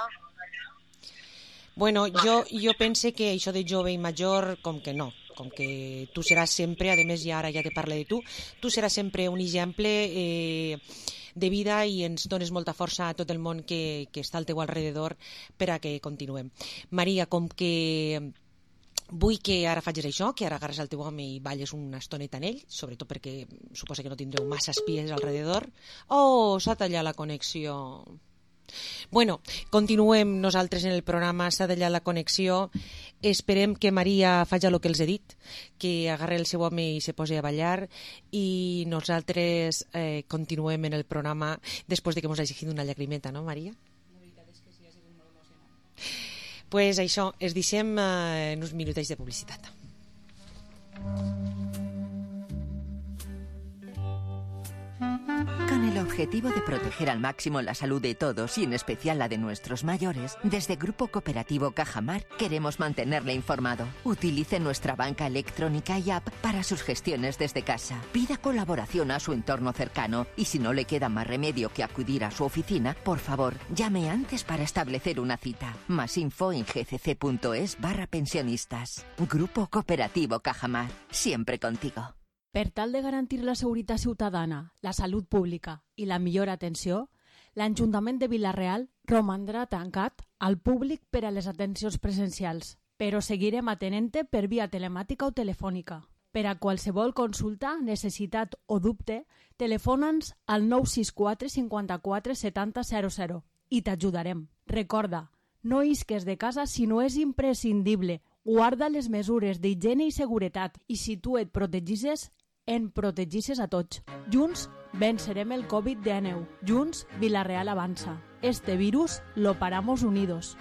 Bueno, jo, jo pense que això de jove i major, com que no, com que tu seràs sempre, a més ja ara ja te parle de tu, tu seràs sempre un exemple eh, de vida i ens dones molta força a tot el món que, que està al teu alrededor per a que continuem. Maria, com que vull que ara facis això, que ara agarres el teu home i balles una estoneta en ell, sobretot perquè suposa que no tindreu massa espies alrededor. Oh, s'ha tallat la connexió. Bueno, continuem nosaltres en el programa, s'ha tallat la connexió. Esperem que Maria faci el que els he dit, que agarre el seu home i se posi a ballar, i nosaltres eh, continuem en el programa després de que ens hagi fet una llagrimeta, no, Maria? La veritat és que sí, ha sigut molt emocionant. Pues això, es deixem eh, en uns minutets de publicitat. Con el objetivo de proteger al máximo la salud de todos y en especial la de nuestros mayores, desde Grupo Cooperativo Cajamar queremos mantenerle informado. Utilice nuestra banca electrónica y app para sus gestiones desde casa. Pida colaboración a su entorno cercano y si no le queda más remedio que acudir a su oficina, por favor, llame antes para establecer una cita. Más info en gcc.es barra pensionistas. Grupo Cooperativo Cajamar, siempre contigo. Per tal de garantir la seguretat ciutadana, la salut pública i la millor atenció, l'Ajuntament de Vila-real romandrà tancat al públic per a les atencions presencials, però seguirem atenent-te per via telemàtica o telefònica. Per a qualsevol consulta, necessitat o dubte, telefona'ns al nou sis quatre cinquanta-quatre setanta zero zero i t'ajudarem. Recorda, no isques de casa si no és imprescindible. Guarda les mesures d'higiene i seguretat i si tu et protegisses, en protegisses a tots. Junts vencerem el covid diecinueve. Junts Vila-real avança. Este virus lo paramos unidos.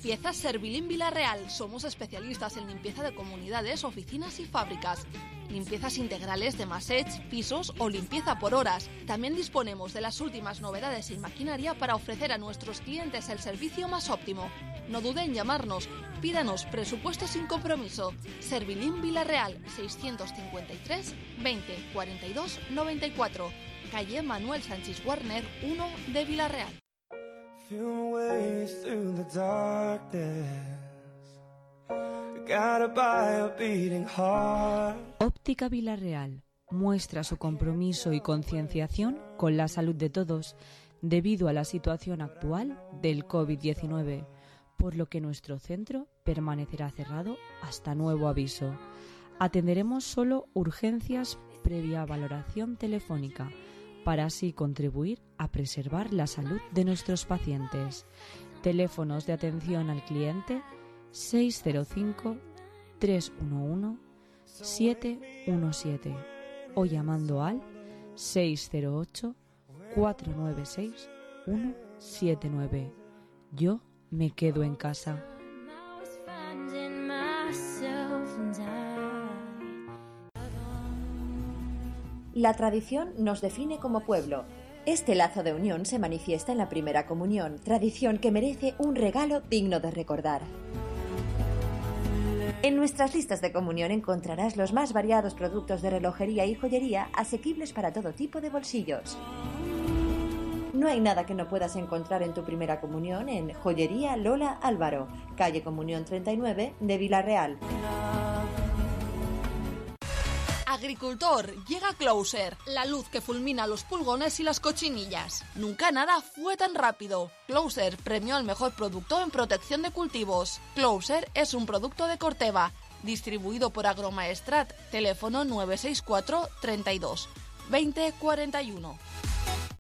Limpieza Servilín Villarreal. Somos especialistas en limpieza de comunidades, oficinas y fábricas. Limpiezas integrales de masech, pisos o limpieza por horas. También disponemos de las últimas novedades en maquinaria para ofrecer a nuestros clientes el servicio más óptimo. No dude en llamarnos. Pídanos presupuesto sin compromiso. Servilín Villarreal, seiscientos cincuenta y tres, veinte, cuarenta y dos, noventa y cuatro. Calle Manuel Sánchez Warner, uno de Villarreal. Óptica Villarreal muestra su compromiso y concienciación con la salud de todos debido a la situación actual del COVID diecinueve, por lo que nuestro centro permanecerá cerrado hasta nuevo aviso. Atenderemos solo urgencias previa valoración telefónica, para así contribuir a preservar la salud de nuestros pacientes. Teléfonos de atención al cliente seis cero cinco, tres uno uno, siete uno siete o llamando al seis cero ocho, cuatro nueve seis, uno siete nueve. Yo me quedo en casa. La tradición nos define como pueblo. Este lazo de unión se manifiesta en la primera comunión, tradición que merece un regalo digno de recordar. En nuestras listas de comunión encontrarás los más variados productos de relojería y joyería asequibles para todo tipo de bolsillos. No hay nada que no puedas encontrar en tu primera comunión en Joyería Lola Álvaro, calle Comunión treinta y nueve de Villarreal. Agricultor, llega Closer, la luz que fulmina los pulgones y las cochinillas. Nunca nada fue tan rápido. Closer premió al mejor producto en protección de cultivos. Closer es un producto de Corteva, distribuido por Agromaestrat. Teléfono nueve seis cuatro, treinta y dos, veinte, cuarenta y uno.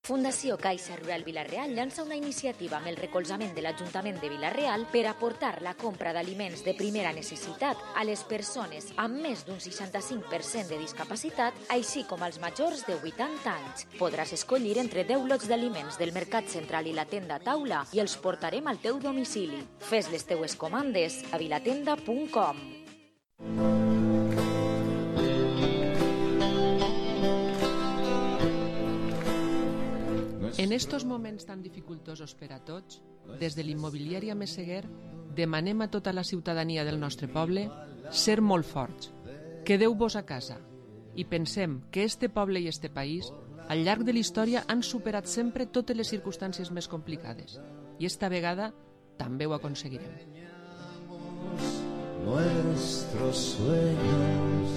Fundació Caixa Rural Vila-real llança una iniciativa amb el recolzament de l'Ajuntament de Vila-real per aportar la compra d'aliments de primera necessitat a les persones amb més d'un seixanta-cinc per cent de discapacitat, així com als majors de vuitanta anys. Podràs escollir entre deu lots d'aliments del Mercat Central i la tenda Taula i els portarem al teu domicili. Fes les teues comandes a vilatenda punt com. En estos moments tan dificultosos per a tots, des de l'immobiliària Meseguer demanem a tota la ciutadania del nostre poble ser molt forts. Quedeu-vos a casa i pensem que este poble i este país al llarg de la història han superat sempre totes les circumstàncies més complicades i esta vegada també ho aconseguirem. Nuestros sueños.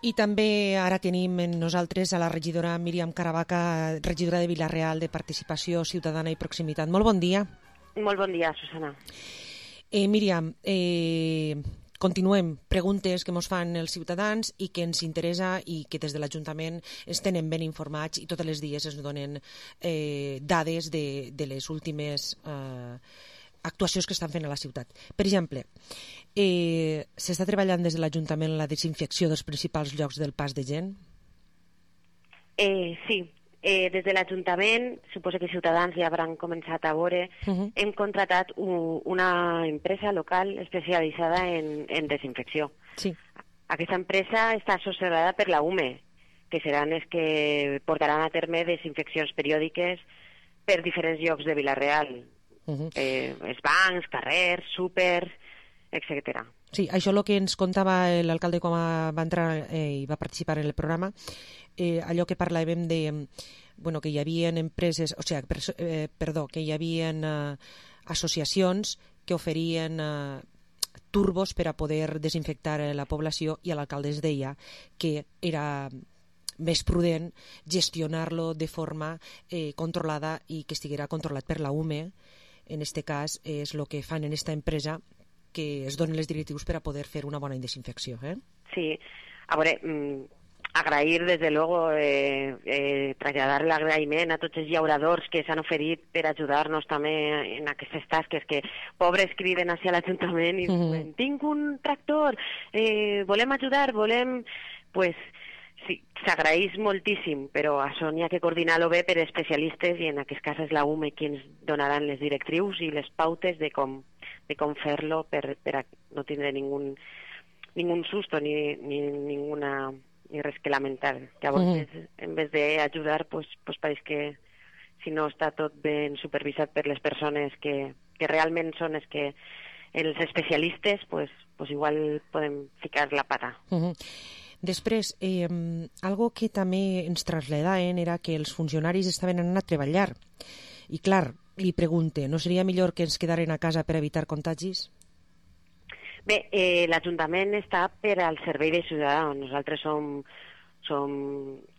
I també ara tenim en nosaltres a la regidora Míriam Caravaca, regidora de Vila-real de Participació Ciutadana i Proximitat. Molt bon dia. Molt bon dia, Susana. Eh, Míriam, eh, continuem. Preguntes que ens fan els ciutadans i que ens interessa i que des de l'Ajuntament ens tenen ben informats i tots els dies ens donen eh, dades de, de les últimes eh, actuacions que estan fent a la ciutat. Per exemple, eh, s'està treballant des de l'Ajuntament la desinfecció dels principals llocs del pas de gent? Eh, sí, eh, des de l'Ajuntament, suposo que ciutadans ja hauran començat a veure, uh-huh. hem contratat un, una empresa local especialitzada en, en desinfecció. Sí. Aquesta empresa està associada per la U M E, que seran els que portaran a terme desinfeccions periòdiques per diferents llocs de Vila-real. Uh-huh. eh, els bancs, carrers, súpers, etcètera. Sí, això és el que ens contava l'alcalde quan va entrar eh, i va participar en el programa, eh, allò que parlàvem de bueno, que hi havia empreses, o sigui, per, eh, perdó, que hi havia eh, associacions que oferien eh, turbos per a poder desinfectar la població i l'alcalde es deia que era més prudent gestionar-lo de forma eh, controlada i que estiguera controlat per la U M E. En aquest cas és el que fan en aquesta empresa, que es donen les directius per a poder fer una bona desinfecció. Eh? Sí, a veure, agrair, desde luego, eh, eh, traslladar l'agraïment a tots els llauradors que s'han oferit per ajudar-nos també en aquestes tasques, que pobres criden hacia l'Ajuntament i diuen, tinc un tractor, eh, volem ajudar, volem... Pues, sí, s'agraeix moltíssim, però això n'hi ha que coordinar-lo bé per especialistes i en aquest cas és la U M E qui ens donaran les directrius i les pautes de com, de com fer-lo per, per no tindre ningun, ningun susto ni, ni ninguna ni res que lamentar. Llavors, mm-hmm. en vez d'ajudar, pues, pues pareix que si no està tot ben supervisat per les persones que, que realment són els que els especialistes, pues, pues igual podem ficar la pata. Mm-hmm. Després, eh, algo que també ens traslladaven era que els funcionaris estaven anant a treballar. I clar, li pregunte, no seria millor que ens quedaren a casa per evitar contagis? Bé, eh, l'Ajuntament està per al servei de ciutadans. Nosaltres som, som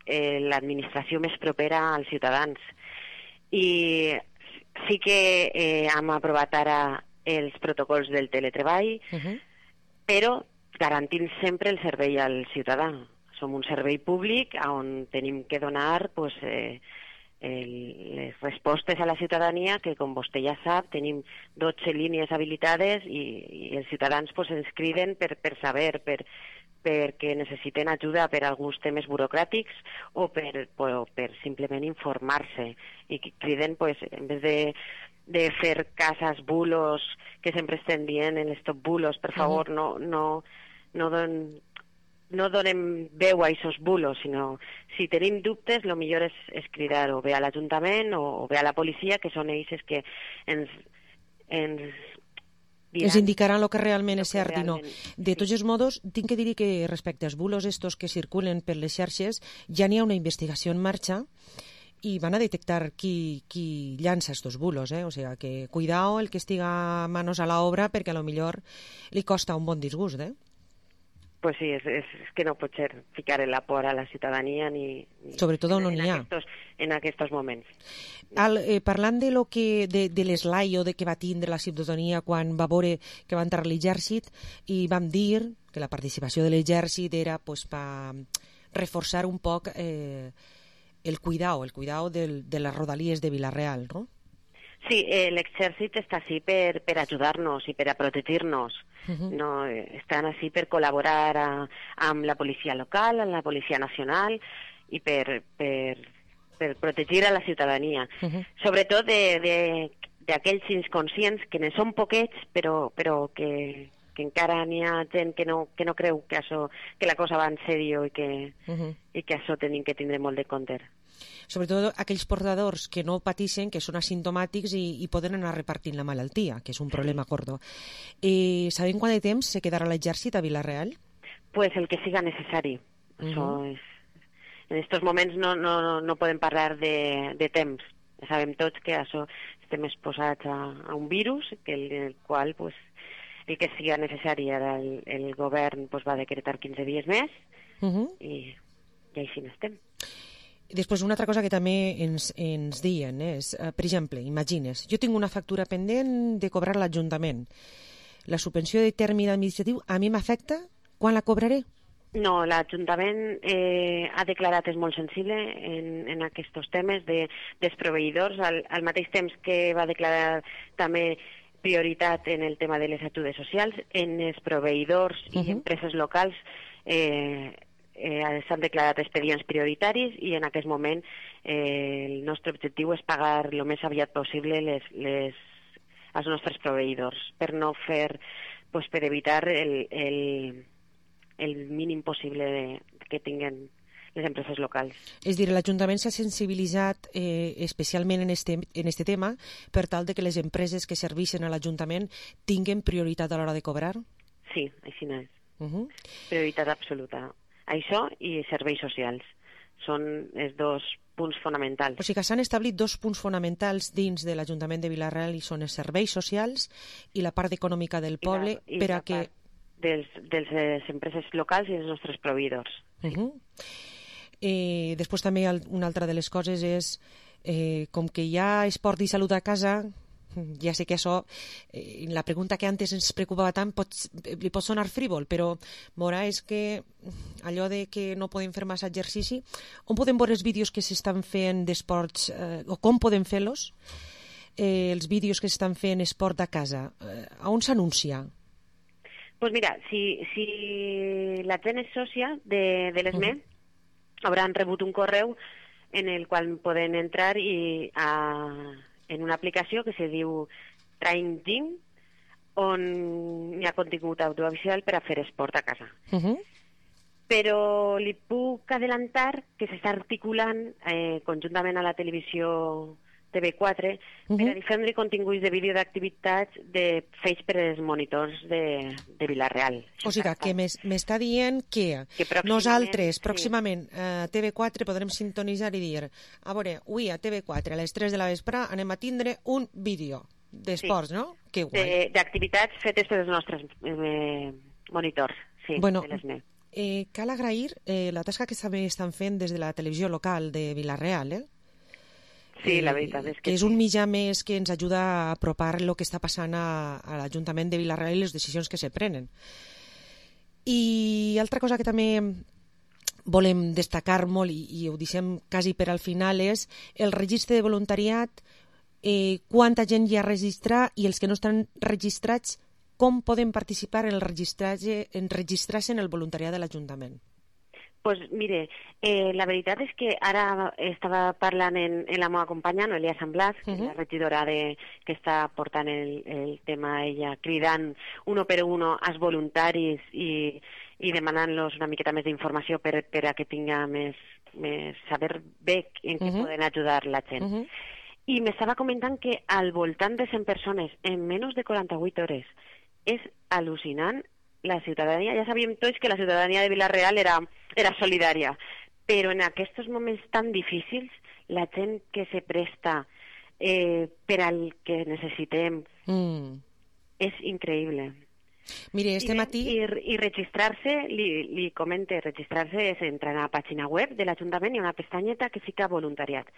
eh, l'administració més propera als ciutadans. I sí que eh, hem aprovat ara els protocols del teletreball, uh-huh. però garantint sempre el servei al ciutadà. Som un servei públic on tenim que donar pues, eh, el, les respostes a la ciutadania que, com vostè ja sap, tenim dotze línies habilitades i, i els ciutadans pues, ens criden per, per saber, per, perquè necessiten ajuda per alguns temes burocràtics o per, o per simplement informar-se. I criden, pues, en vez de de fer cases, bulos, que sempre estem dient en estos bulos, per favor, no, no, no, don, no donem veu a aquests bulos, sinó si tenim dubtes, el millor és, és cridar o bé a l'Ajuntament o, o bé a la policia, que són ells que ens, ens diran... Ens indicaran el que realment és cert i no. De tots els modos, tinc que dir que respecte als bulos estos que circulen per les xarxes, ja n'hi ha una investigació en marxa i van a detectar qui, qui llança estos bulos, eh? O sea, que cuidao el que estiga manos a la obra perquè a lo millor li costa un bon disgust, eh? Pues sí, és, és, és que no pot ser ficar la por a la ciutadania ni... ni Sobretot on no n'hi ha. Aquestos, en aquests moments. Al, eh, parlant de, lo que, de, de l'eslaio de que va tindre la ciutadania quan va veure que va entrar l'exèrcit i vam dir que la participació de l'exèrcit era pues, per reforçar un poc... Eh, el cuidado, el cuidado del, de las rodalies de Vila-real, ¿no? Sí, eh, l'exèrcit està així per, per ajudar-nos i per a protegir-nos. Uh-huh. No, estan així per col·laborar a, amb la policia local, amb la policia nacional i per, per, per protegir a la ciutadania. Uh-huh. Sobretot d'aquells inconscients que ne són poquets, però, però que, que encara n'hi ha gent que no, que no creu que, això, que la cosa va en sèrio i que, uh-huh. i que això tenim que tindre molt de compte. Sobretot aquells portadors que no pateixen, que són asimptomàtics i, i poden anar repartint la malaltia, que és un problema gordo. Eh, sabem quant de temps se quedarà l'exèrcit a Vila-real? Pues el que siga necessari. Uh-huh. Això és... En aquests moments no, no, no podem parlar de, de temps. Sabem tots que això estem exposats a, a un virus, que el, el qual pues, el que siga necessari ara el, el govern pues, va decretar quinze dies més uh-huh. i, i així n'estem. Després, una altra cosa que també ens, ens diuen és, eh, per exemple, imagines, jo tinc una factura pendent de cobrar l'Ajuntament. La subvenció de terme administratiu a mi m'afecta? Quan la cobraré? No, l'Ajuntament eh, ha declarat, és molt sensible en, en aquests temes de, dels proveïdors, al, al mateix temps que va declarar també prioritat en el tema de les ajudes socials, en els proveïdors i uh-huh. empreses locals eh, Eh, s'han declarat expedients prioritaris i en aquest moment eh, el nostre objectiu és pagar el més aviat possible les, les, els nostres proveïdors per no fer, pues, per evitar el, el, el mínim possible de, que tinguen les empreses locals. És dir, l'Ajuntament s'ha sensibilitzat eh, especialment en este, en este tema per tal de que les empreses que serveixen a l'Ajuntament tinguen prioritat a l'hora de cobrar? Sí, així no és. Uh-huh. Prioritat absoluta. Això i serveis socials són els dos punts fonamentals. O sigui que s'han establit dos punts fonamentals dins de l'Ajuntament de Vila-real i són els serveis socials i la part econòmica del poble I la, i per a la que... Dels, dels les empreses locals i els nostres proveïdors. Uh-huh. eh, després també una altra de les coses és eh, com que hi ha esport i salut a casa, Ja sé que això, eh, la pregunta que antes ens preocupava tant pot, li pot sonar frívol, però veurà és que allò de que no podem fer massa exercici, on podem veure els vídeos que s'estan fent d'esports, eh, o com podem fer-los, eh, els vídeos que s'estan fent esport a casa, eh, on s'anuncia? Pues mira, si, si la gent és sòcia de, de l'E S M E, uh-huh. hauran rebut un correu en el qual poden entrar i a, en una aplicació que se diu Train Gym, on hi ha contingut audiovisual per a fer esport a casa. Uh-huh. Però li puc adelantar que s'està articulant eh, conjuntament a la televisió T V quatre uh-huh. per a difondre continguts de vídeo d'activitats de fets per als monitors de, de Vila-real. O sigui que m'està dient que, que pròximament, nosaltres pròximament sí. a T V quatre podrem sintonitzar i dir a veure, avui a T V quatre a les tres de la vespre anem a tindre un vídeo d'esports, sí. no? Que guai. D'activitats fetes pels nostres eh, monitors, sí, bueno, de l'E S M E. Eh, cal agrair eh, la tasca que també estan fent des de la televisió local de Vila-real, eh? Sí, la veritat és que... que és un mitjà més que ens ajuda a apropar el que està passant a, a l'Ajuntament de Vila-real i les decisions que se prenen. I altra cosa que també volem destacar molt, i, i ho deixem quasi per al final, és el registre de voluntariat, eh, quanta gent hi ha registrat i els que no estan registrats, com poden participar en el registratge, en registrar-se en el voluntariat de l'Ajuntament? Pues mire, eh, la veritat és que ara estava parlant en, en la meva companya, Noelia Sant Blas, que uh-huh. és la regidora de, que està portant el, el tema ella, cridant uno per uno als voluntaris i, i demanant-los una miqueta més d'informació per, per a que tinga més, més saber bé en què uh-huh. poden ajudar la gent. Uh-huh. I m'estava comentant que al voltant de cent persones en menys de quaranta-vuit hores és al·lucinant. La ciutadania, ja sabíem tots que la ciutadania de Vila-real era, era solidària, però en aquests moments tan difícils, la gent que se presta eh, per al que necessitem mm. és increïble. Mire, este I, matí... I, i registrar-se, li, li comente, registrar-se és entrar a la pàgina web de l'Ajuntament i una pestanyeta que fica voluntariat.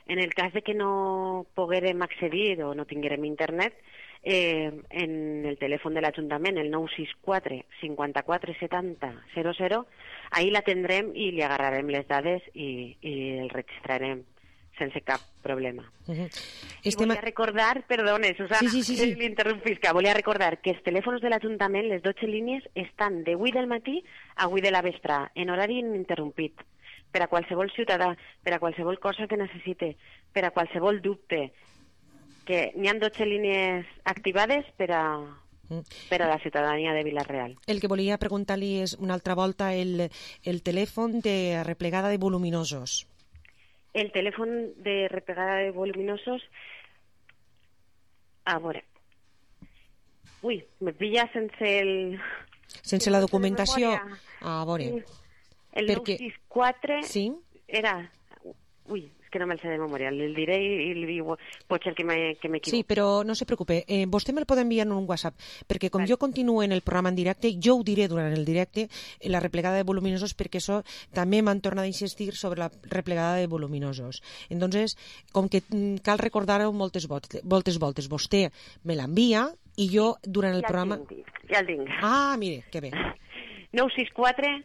En el cas de que no poguérem accedir o no tinguérem internet, Eh, en el telèfon de l'Ajuntament, el nou sis quatre cinquanta-quatre setanta zero zero, ahí la tindrem i li agarrarem les dades i, i el registrarem sense cap problema. Uh-huh. I volia recordar, perdone, Susana, sí, sí, sí, sí. l'interrompisca, volia recordar que els telèfons de l'Ajuntament, les dotze línies, estan de vuit del matí a vuit de la vespre, en horari ininterrompit, per a qualsevol ciutadà, per a qualsevol cosa que necessite, per a qualsevol dubte, que n'hi ha dotze línies activades per a, per a la ciutadania de Vila-real. El que volia preguntar-li és una altra volta el, el telèfon de replegada de voluminosos. El telèfon de replegada de voluminosos... A veure... Ui, me pilla sense el... Sense la documentació? A veure... El nou sis quatre... Sí? Era... Ui... que no me'l sé de memòria, el diré i li diu pot ser que m'equivoco. Sí, però no se preocupe, eh, vostè me'l pot enviar en un WhatsApp, perquè com vale. Jo continuo en el programa en directe, jo ho diré durant el directe, la replegada de voluminosos, perquè això també m'han tornat a insistir sobre la replegada de voluminosos. Entonces, com que cal recordar-ho moltes voltes, voltes voltes, vostè me l'envia i jo durant el ja programa... El tinc, ja el tinc. Ah, mire, que bé. nou sis quatre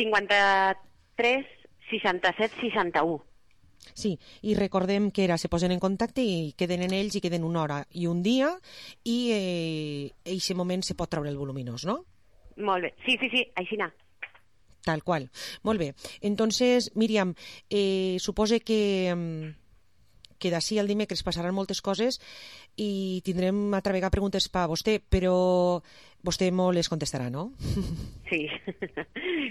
cinquanta-tres seixanta-set seixanta-u. Sí, i recordem que era, se posen en contacte i queden en ells i queden una hora i un dia i eh, en aquest moment se pot treure el voluminós, no? Molt bé, sí, sí, sí, així n'ha. Tal qual. Molt bé. Entonces, Míriam, eh, supose que, que d'ací al dimecres passaran moltes coses i tindrem altra vegada preguntes per a vostè, però vostè molt les contestarà, no? Sí,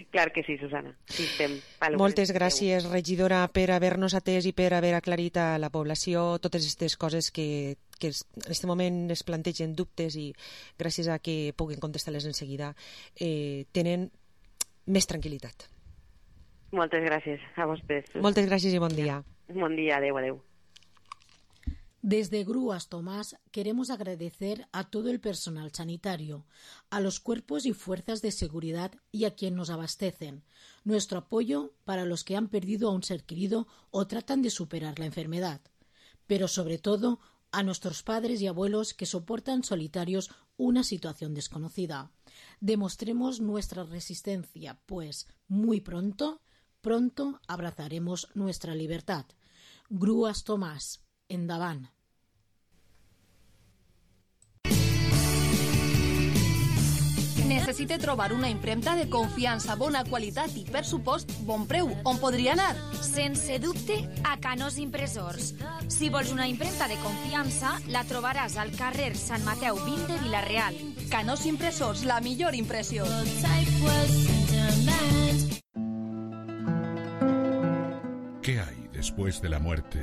clar que sí, Susana. Sí, estem moltes gràcies, regidora, per haver-nos atès i per haver aclarit a la població totes aquestes coses que, que en aquest moment es plantegen dubtes i gràcies a que puguin contestar-les en seguida eh, tenen més tranquil·litat. Moltes gràcies a vostès. Moltes gràcies i bon dia. Bon dia, adeu, adeu. Desde Grúas Tomás queremos agradecer a todo el personal sanitario, a los cuerpos y fuerzas de seguridad y a quien nos abastecen, nuestro apoyo para los que han perdido a un ser querido o tratan de superar la enfermedad, pero sobre todo a nuestros padres y abuelos que soportan solitarios una situación desconocida. Demostremos nuestra resistencia, pues muy pronto, pronto abrazaremos nuestra libertad. Grúas Tomàs, endavant. Necessite trobar una impremta de confiança, bona qualitat i, per supost, bon preu. On podria anar? Sense dubte, a Canós Impressors. Si vols una impremta de confiança, la trobaràs al carrer Sant Mateu vint de Vila-real. Canós Impressors, la millor impressió. ¿Qué hay después de la muerte?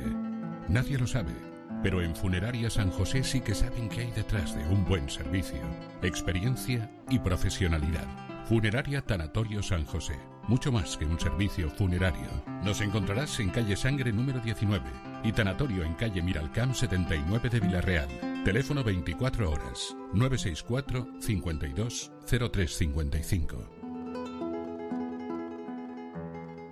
Nadie lo sabe. Pero en Funeraria San José sí que saben qué hay detrás de un buen servicio, experiencia y profesionalidad. Funeraria Tanatorio San José, mucho más que un servicio funerario. Nos encontrarás en calle Sangre número diecinueve y Tanatorio en calle Miralcamp setenta y nueve de Vila-real. Teléfono veinticuatro horas, nueve seis cuatro, cincuenta y dos, cero tres cincuenta y cinco.